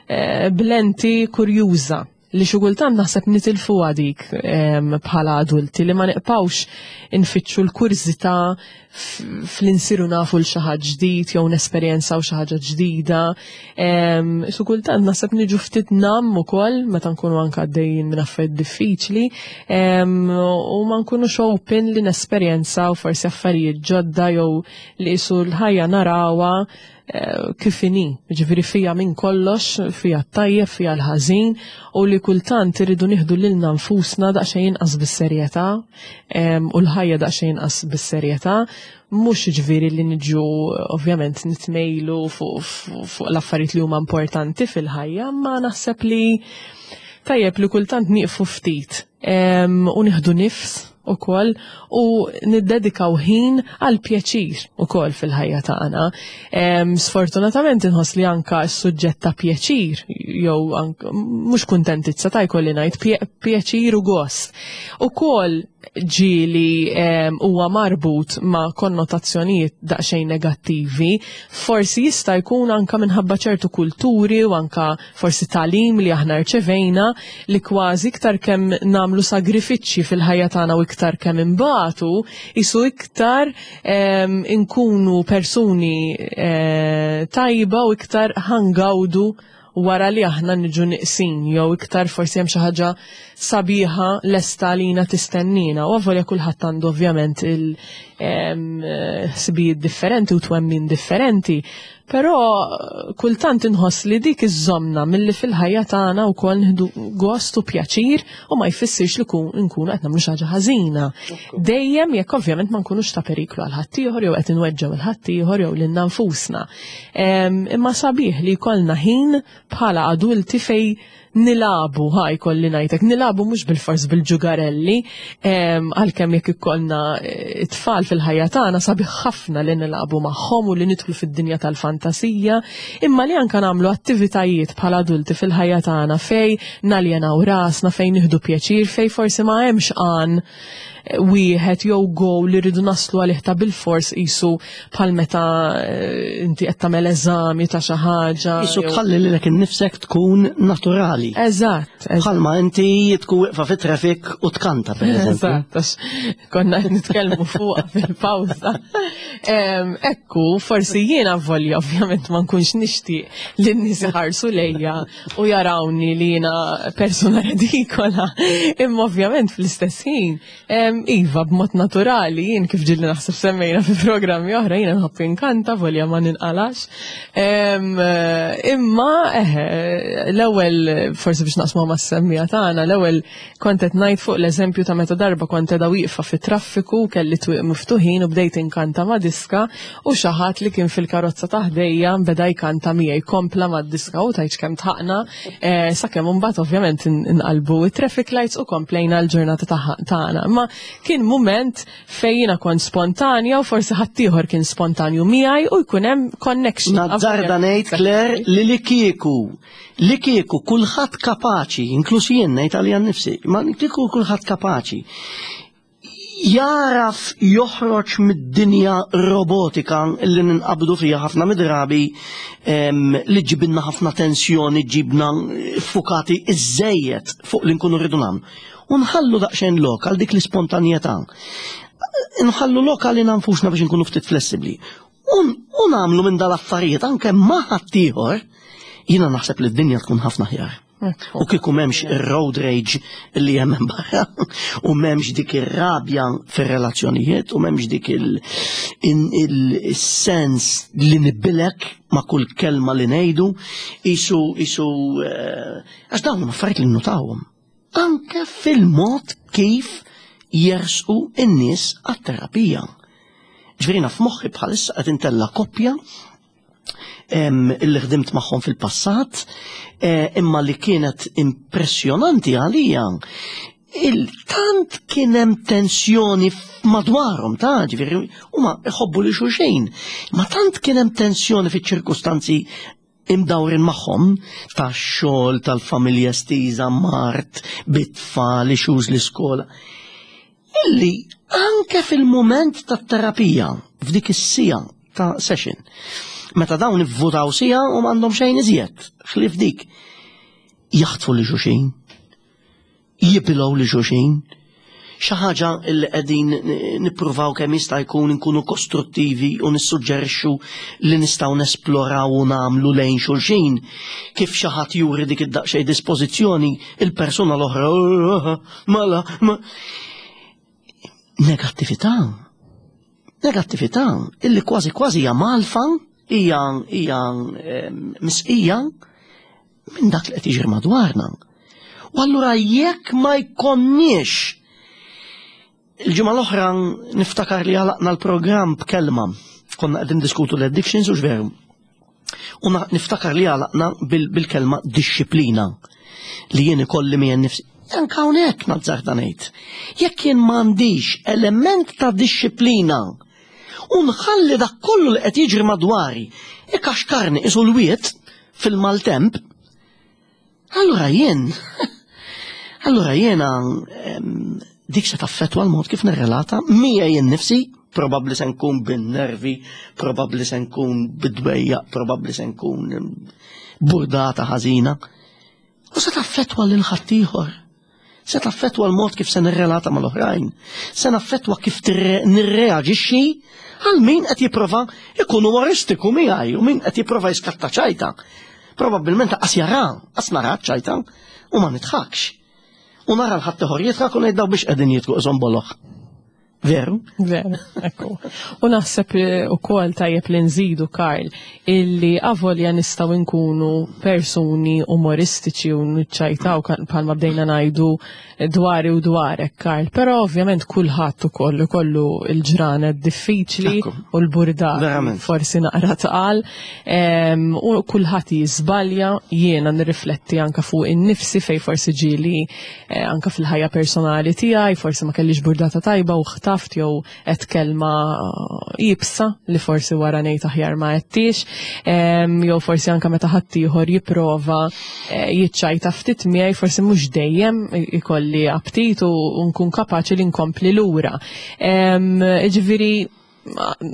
Speaker 2: eh, b'lenti kurjuża li xi kultant naħseb nitilfu dik em, bħala adulti, li ma nibqgħux infittxu l-kurżità f- fl-insiru nafu l xi ħaġa ġdid jew nesperjenzaw xi ħaġa ġdida. Em, Xi kultant naħseb niġu ftit numb ukoll meta nkunu anke għaddejjin minn affarijiet diffiċli em, u ma nkunux open li nesperjenzaw forsi affarijiet ġodda jew li qisu l-ħajja narawha eh, kif inhi, ġifieri fija minn kollox, fija t-tajjeb, fija l-ħażin, u li kultant irridu nieħdu lilna nfusna daqsxejn inqas bis-serjetà em, u l-ħajja daqsxejn inqas bis-serjetà, mhux ġifieri li niġu ovvjament nitmejlu fuq fuq- fuq l-affarijiet li huma importanti fil-ħajja, ma naħseb li tajjeb li kultant nieqfu ftit em, u nieħdu nifs. ukoll u niddedikaw ħin għal pjaċir ukoll fil-ħajja tagħna. Sfortunatament inħoss li anka s-suġġett ta' pjaċir jew mhux kuntentizza ta' jkolli ngħid pjaċir u gost. Ukoll ġieli huwa marbut ma' konnotazzjonijiet daqsxejn negattivi, forsi jista' jkun anka minħabba ċertu kulturi u anka forsi tagħlim li aħna rċevejna li kważi iktar kemm nagħmlu sagrifiċċji fil-ħajja tagħna u iktar kemm imbatu, isu iktar inkunu persuni eh, tajba u iktar ħa ngawdu wara li aħna niġu niqsin, jew iktar forsi hemm xi ħaġa sabiħa lesta lina tistennina. U avolja kulħadd għandu ovvjament il-ħsibijiet differenti u twemmin differenti, però kultant inħoss li dik iżżommna milli fil-ħajja tagħna wkoll nieħdu gost u pjaċir u ma jfissirx li nkunu qed nagħmlu xi ħaġa ħażina. Dejjem jekk ovvjament ma nkunux ta' periklu għal ħaddieħor jew qed inweġġgħu il ħaddieħor jew lilna nfusna. Imma sabiħ li jkollna ħin bħala adulti fej nilagħbu, ħa jkolli ngħidlek, nilagħbu mhux bil-fors bil-ġugarelli, għalkemm jekk ikollna eh, it-tfal fil-ħajja tagħna sabiħ ħafna li nilagħbu magħhom u li nidħlu fid-dinja tal-fantasija, imma li anka nagħmlu attivitajiet bħala adulti fil-ħajja tagħna fej naljenaw rasna, fej nieħdu pjaċir, fej forsi ma hemmx għan wieħed jew goal li rridu naslu għalih ta' bil-fors isu bħal meta eh, inti qed tagħmel eżami ta' xi ħaġa.
Speaker 1: Isu tħalli lilek innifsek tkun naturali.
Speaker 2: Eżatt.
Speaker 1: Bħalma inti tkun wieqfa fit-traffic u tkanta, per eżempju.
Speaker 2: Eżatt, għax konna qed nitkellmu fuqha fil-pawża. Ekku, forsi jiena volja ovvjament ma nkunx nixtieq li n-nies iħarsu lejja u jarawni li jiena persuna redikola, imma ovvjament fl-istess ħin iva, b'mod naturali, jien kif ġieli naħseb semmejna fi programmi oħra, jiena nħobb inkanta, volja ma ninqalax. Imma, eħe, l-ewwel, forsi biex naqsmu ma' semmija tagħna, l-ewwel kont qed ngħid fuq l-eżempju ta' meta darba kont qiegħda wieqfa fit-traffiku, kelli twieq miftuħin u bdejt inkanta ma' diska u xi ħadd li kien fil-karozza ta' ħdejja beda jkanta miegħi, kompla ma' diska u tajt kemm tħaqna, eh, sakemm imbagħad ovvjament inqalbu it-traffic lights u komplejna l-ġurnata tagħna. Imma kien moment fejn jiena kont spontanja u forsi ħaddieħor kien spontanju miegħi u jkun hemm connection.
Speaker 1: Nazzarda ngħid, Claire, li li kieku li kieku kulħadd kapaċi, inkluż jien ngħid għalija nnifsi, ma kieku kulħadd kapaċi jaraf joħroġ mid-dinja robotika li ninqabdu fija ħafna midrabi, li ġibinna ħafna tensjoni, ġibna fukati iżżejjed fuq li nkunu rridu nagħmlu. U nħallu daqsxejn lok għal dik l-ispontanjetà. Nħallu lok għal nfusna biex nkunu ftit flessibbli. U nagħmlu minn dal-affarijiet anke ma' ħaddieħor, jiena naħseb li d-dinja tkun ħafna aħjar. U kieku m'hemmx ir-road rage li hemm barra, u m'hemmx dik ir-rabja fir-relazzjonijiet, u m'hemmx dik il-sens li nibilek ma' kull kelma li ngħidu, isu isu eh, għax dawn huma affarijiet li nnutawhom. Anke fil-mod kif jersqu in-nies għat-terapija. Ġifieri f'moħħi bħalissa qed intella' koppja illi ħdimt magħhom fil-passat, eh, imma li kienet impressjonanti għalija. Il-tant kien hemm tensjoni madwarhom ta' ġifieri huma jħobbu li xulxin, ma tant kien hemm tensjoni fiċ-ċirkustanzi imdawrin magħhom tax-xogħol, tal-familja estiża, mard, bit-tfal, issues l-iskola. Illi anke fil-moment tat-terapija, f'dik is-siegħa ta' session, meta dawn ivvutaw siegħa u m'għandhom xejn iżjed, ħlief dik, jaħtfu li xulxin, jibilgħu li xulxin, xi ħaġa li qegħdin nippruvaw kemm jista' jkun nkunu kostruttivi u nissuġġerixxu li nistgħu nesploraw u nagħmlu lejn xulxin. Kif xi ħadd juri dik id-daqsxejn dispożizzjoni, il-persuna l-oħra, mala, ma. Negattività. Negattività illi kważi kważi hija malfa, hija hija misqija minn dak li qed jiġri madwarna. U allura jekk ma jkonniex. Il-ġimgħa l-oħra niftakar li għalaqna l-programm b'kelma. Konna qegħdin diskutu l-addictions u x'veru. U niftakar li għalaqna bil-kelma dixxiplina li jien ikolli miegħi nifsi. Anka hawnhekk nazzarda ngħid. Jekk jien m'għandix element ta' dixxiplina u nħalli dak kollu li qed jiġri madwari ikaxkarni qisu l-wied fil-maltemp, allura jien allura jiena dik se taffettwa l-mod kif nirrelata miegħi jien nifsi, probabbli se nkun bin-nervi, probabbli se nkun bid-dwejjaq, probabbli se nkun burdata ħażina. U se taffettwa lil ħaddieħor. Se taffettwa l-mod kif se nirrelata mal-oħrajn. Se naffettwa kif nirreaġixxi għal min qed jipprova ikun umoristiku miegħi u min qed jipprova jiskatta ċajta. Probabbilment qas jara, qas nara ċajta u ma nidħakx. U nara l-ħaddieħor jidħak u ngħid daw biex qegħdin jidħku qishom boloh. Veru?
Speaker 2: Veru, ekku. U naħseb ukoll tajjeb li nżidu, Karl, illi avolja nistgħu nkunu persuni umoristiċi u nċajtaw bħalma bdejna ngħidu dwari u dwarek, Karl, però ovvjament kulħadd ukoll ikollu il-ġranet diffiċli u l-burdat forsi naqra tqal, u kulħadd jiżbalja. Jiena nirrifletti anka fuq in-nifsi fej forsi ġieli eh, anka fil-ħajja personali tiegħi, forsi ma kellix burdata tajba u ħtaft jew għedt kelma iebsa li forsi wara ngħid aħjar ma għedtix, jew forsi anka meta ħaddieħor jipprova eh, jiċċajta ftit miegħi, forsi mhux dejjem ikolli aptit u nkun kapaċi li nkompli lura. Ġifieri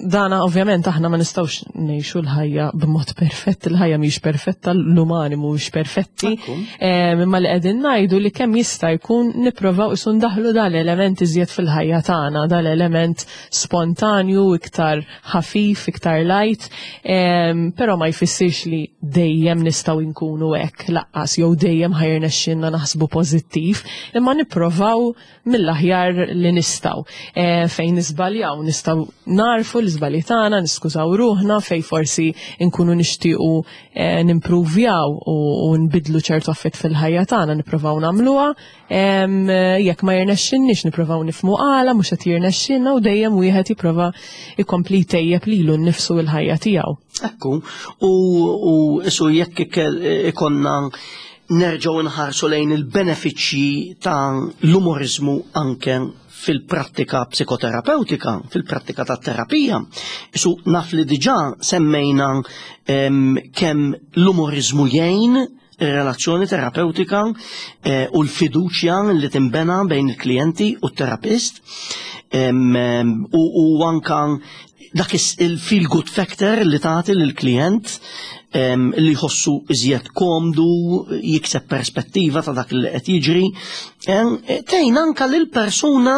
Speaker 2: dana ovvjament aħna ma nistgħux ngħixu l-ħajja b'mod perfett, il-ħajja mhix perfetta, l-umani mhux perfetti. Imma li qegħdin ngħidu li kemm jista' jkun nipprovaw isu ndaħlu dal-element iżjed fil-ħajja tagħna, dal-element spontanju, iktar ħafif, iktar light, però ma jfissirx li dejjem nistgħu nkunu hekk lanqas jew dejjem ħa jirnexxilna naħsbu pożittiv, imma nipprovaw mill-aħjar li nistgħu. Fejn niżbaljaw nistgħu narfu l-iżbalji tagħna, niskużaw ruħna fej forsi nkunu nixtiequ eh, nimpruvjaw u nbidlu ċertu affett fil-ħajja tagħna, nippruvaw nagħmluha. Jekk ma jirnexxinniex, nippruvaw nifhmu għala mhux qed jirnexxinna u dejjem wieħed jipprova jkompli jtejjeb lilu nnifsu l-ħajja tiegħu.
Speaker 1: Ekku, u isu jekk ikonna nerġgħu nħarsu lejn il-benefiċċji ta' l-umorizmu anke fil-prattika psikoterapeutika, fil-prattika ta' terapija. Isu naf li diġà semmejna kemm l-umorizmu jgħin ir-relazzjoni terapeutika eh, u l-fiduċja li timbena bejn il-klijenti u t-terapist u, u anka dak il-feel good factor li tagħti lill-klient li jħossu iżjed komdu, jikseb perspettiva ta' dak li qed jiġri, tgħin anka lil persuna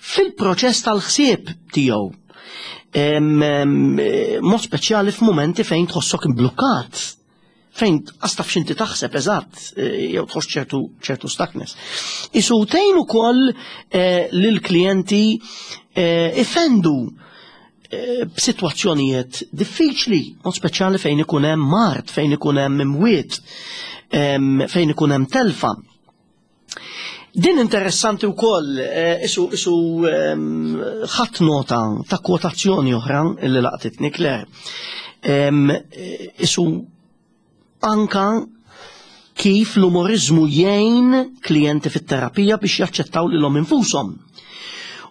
Speaker 1: fil-proċess tal-ħsieb tiegħu. Mod speċjali f'mumenti fejn tħossok imblukkat, fejn qas taf x'inti taħseb eżatt, eh, jew tħoss ċertu ċertu stuckness. Isu tgħin ukoll eh, lill-klijenti eh, ifendu b'sitwazzjonijiet diffiċli, mod speċjali fejn ikun hemm mard, fejn ikun hemm imwiet, fejn ikun hemm telfa. Din interessanti wkoll, isu isu ħadd nota ta' kwotazzjoni oħra li laqtitni, Claire. Isu anka kif l-umorizmu jgħin klijenti fit-terapija biex jaċċettaw lilhom infushom.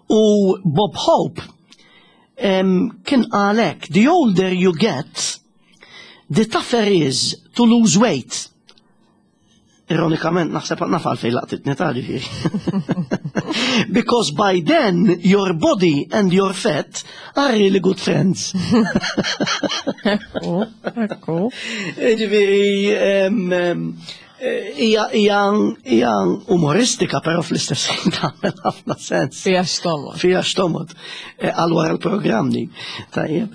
Speaker 1: U Bob Hope kien qalek, "The older you get, the tougher is to lose weight." Ironikament, naħseb naf għalfejn laqtitni ta' ġifieri. "Because by then, your body and your fat are really good friends."
Speaker 2: Ekku, ekku.
Speaker 1: Ġifieri, hija hija hija umoristika, però fl-istess ħin tagħmel ħafna sens.
Speaker 2: Fija xtomod.
Speaker 1: Fija xtomod. Għal wara l-programm di. Tajjeb.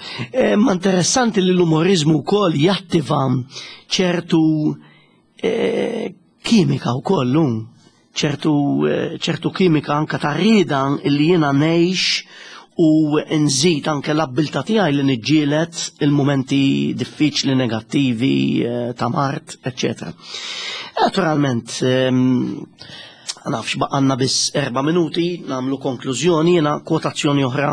Speaker 1: Ma interessanti li l-umorizmu wkoll jattiva ċertu kimika wkoll, ċertu ċertu kimika anka ta' rieda li jiena ngħix u nżid anke l-abbiltà tiegħi li niġġieled il-mumenti diffiċli, negattivi, ta' mard, eċċetera. Naturalment, Nafx baqgħalna biss erba' minuti, nagħmlu konklużjoni. Jiena kwotazzjoni oħra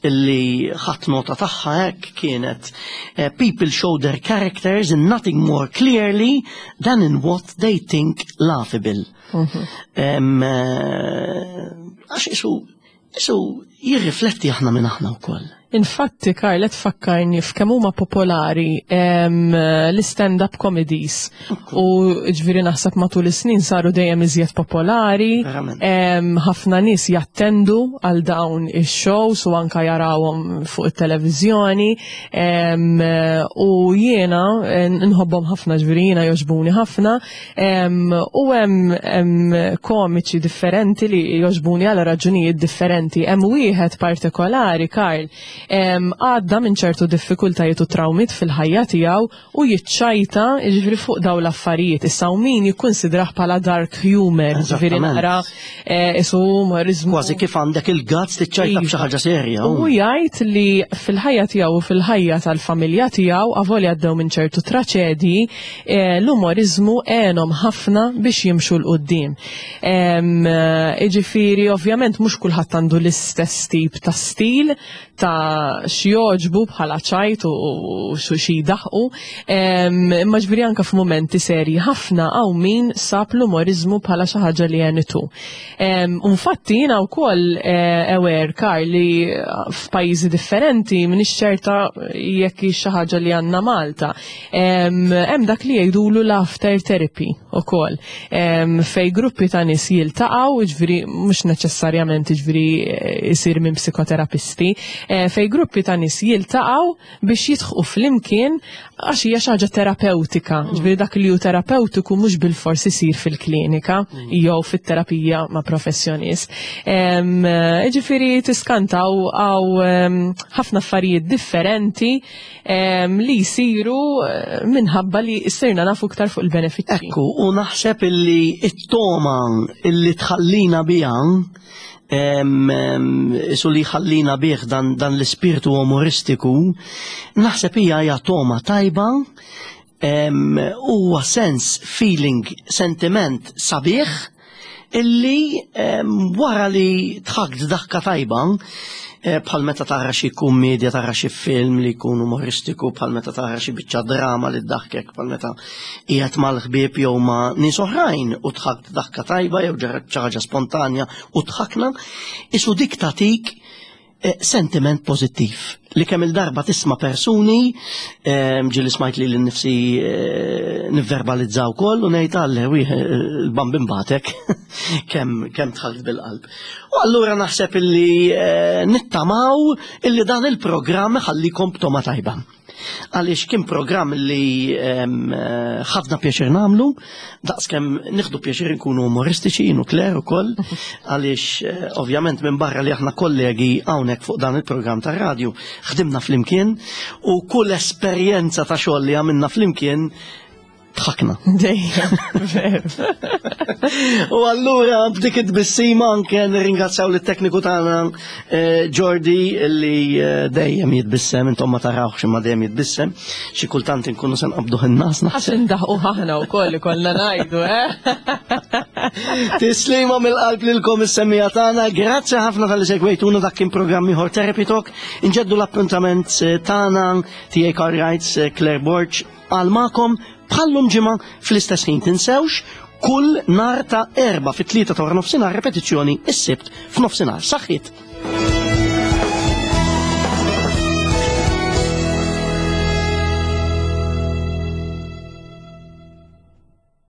Speaker 1: illi ħadt nota tagħha hekk kienet eh, "People show their characters in nothing more clearly than in what they think laughable." Em, eh, Għax isu, isu jirrifletti aħna minn aħna wkoll.
Speaker 2: Infatti, Karl, tfakkarni f'kemm huma popolari em, l-stand-up comedies. U ġifieri naħseb matul is-snin saru dejjem iżjed popolari.
Speaker 1: Verament.
Speaker 2: Em, Ħafna nies jattendu għal dawn ix-shows u anka jarawhom fuq it-televiżjoni. Em, U jiena eh, nħobbhom ħafna, ġifieri jiena jogħġbuni ħafna. Em, U hemm hemm komiċi differenti li jogħġbuni għal raġunijiet differenti. Hemm wieħed partikolari, Karl, em, għadda minn ċertu diffikultajiet u trawmiet fil-ħajja tiegħu u jiċċajta ġifieri fuq daw l-affarijiet. Issa u min jikkonsidrah bħala dark humor, ġifieri
Speaker 1: Eżattament.
Speaker 2: naqra eh, isu umorizmu.
Speaker 1: Kważi kif għandek il-guts tiċċajta b'xi ħaġa serja.
Speaker 2: U jgħid li fil-ħajja tiegħu u fil-ħajja tal-familja tiegħu, avolja għaddew minn ċertu traċedji, eh, l-umorizmu għenhom ħafna biex jimxu 'l quddiem. Iġifieri, ovvjament mhux kulħadd għandu l-istess tip ta' stil ta' x'jogħġbu bħala ċajt u u xi jdaħqu. Imma ġifieri anka f'mumenti serji ħafna hawn min sab l-umorizmu bħala xi ħaġa li għenitu. Infatti jiena wkoll eh, aware, Karl, li f'pajjiżi differenti, m'iniex ċerta jekk hi xi ħaġa li għandna Malta. Hemm dak li jgħidulu l-laughter therapy ukoll. Fej gruppi ta' nies jiltaqgħu, ġifieri mhux neċessarjament ġifieri eh, isir minn psikoterapisti, eh, fej gruppi ta' nies jiltaqgħu biex jidħqu flimkien għax hija xi ħaġa terapeutika. Ġifieri dak li hu terapeutiku mhux bil-fors isir fil-klinika jew fit-terapija ma' professjonist. Em, Ġifieri tiskantaw għaw ħafna affarijiet differenti em, li jsiru eh, minħabba li sirna nafu iktar fuq il-benefiċċji.
Speaker 1: Ekku, u naħseb illi it-toma illi tħallina biha em, em, isu li ħallina bih dan, dan l-ispirtu umoristiku, naħseb hija hija toma tajba, em, huwa sens, feeling, sentiment sabiħ illi em, wara li dħakt daħka tajba, eh, bħal meta tara xi kummedja, tara xi film li jkun umoristiku, bħal meta tara xi biċċa drama li ddaħkek, bħal meta qiegħed mal-ħbieb jew ma' nies oħrajn u dħakt daħka tajba jew ġara xi ħaġa spontanja u dħakna, isu dik tatik eh, sentiment pozittiv li kemm il-darba tisma' persuni eh, ġieli smajt li l-nifsi eh, nivverbalizzaw koll u ngħid għalle il-bambin batek kemm kemm dħalt bil-qalb. U allura naħseb illi eh, nittamaw illi dan il-programm ħallikom b'toma tajba. Għaliex kien programm li em, eh, ħadna pjaċir nagħmlu, daqs kemm nieħdu pjaċir nkunu umoristiċi, jien u Claire ukoll, għaliex eh, ovvjament minn barra li aħna kollegi hawnhekk fuq dan il-programm tar-radju, ħdimna flimkien u kull esperjenza ta' xogħol li għamilna flimkien dħakna.
Speaker 2: Dejjem, veru.
Speaker 1: U allura b'dik it-tbissima anke nirringrazzjaw lit-tekniku tagħna eh, Jordi li eh, dejjem jitbissem, intom ma tarawx imma dejjem jitbissem. Xi kultant inkunu se nqabduh in-nas
Speaker 2: Għax
Speaker 1: naħseb.
Speaker 2: indaħqu ħahna u koll kollna ngħidu, eh?
Speaker 1: Tislima mill-qalb lilkom is-semmiegħa tagħna. Grazzi ħafna talli segwejtuna. Dak kien programm ieħor, Therapy Talk. Inġeddu l-appuntament eh, tagħna tiegħi Karl Wrights, eh, Claire Borg għal magħkom bħallum ġimgħa fl-istess ħin. Tinsewx kull nar ta' Erbgħa fit-tlieta ta' nofsinhar, repetizzjoni is-Sibt f'nofsinhar. Saħħit.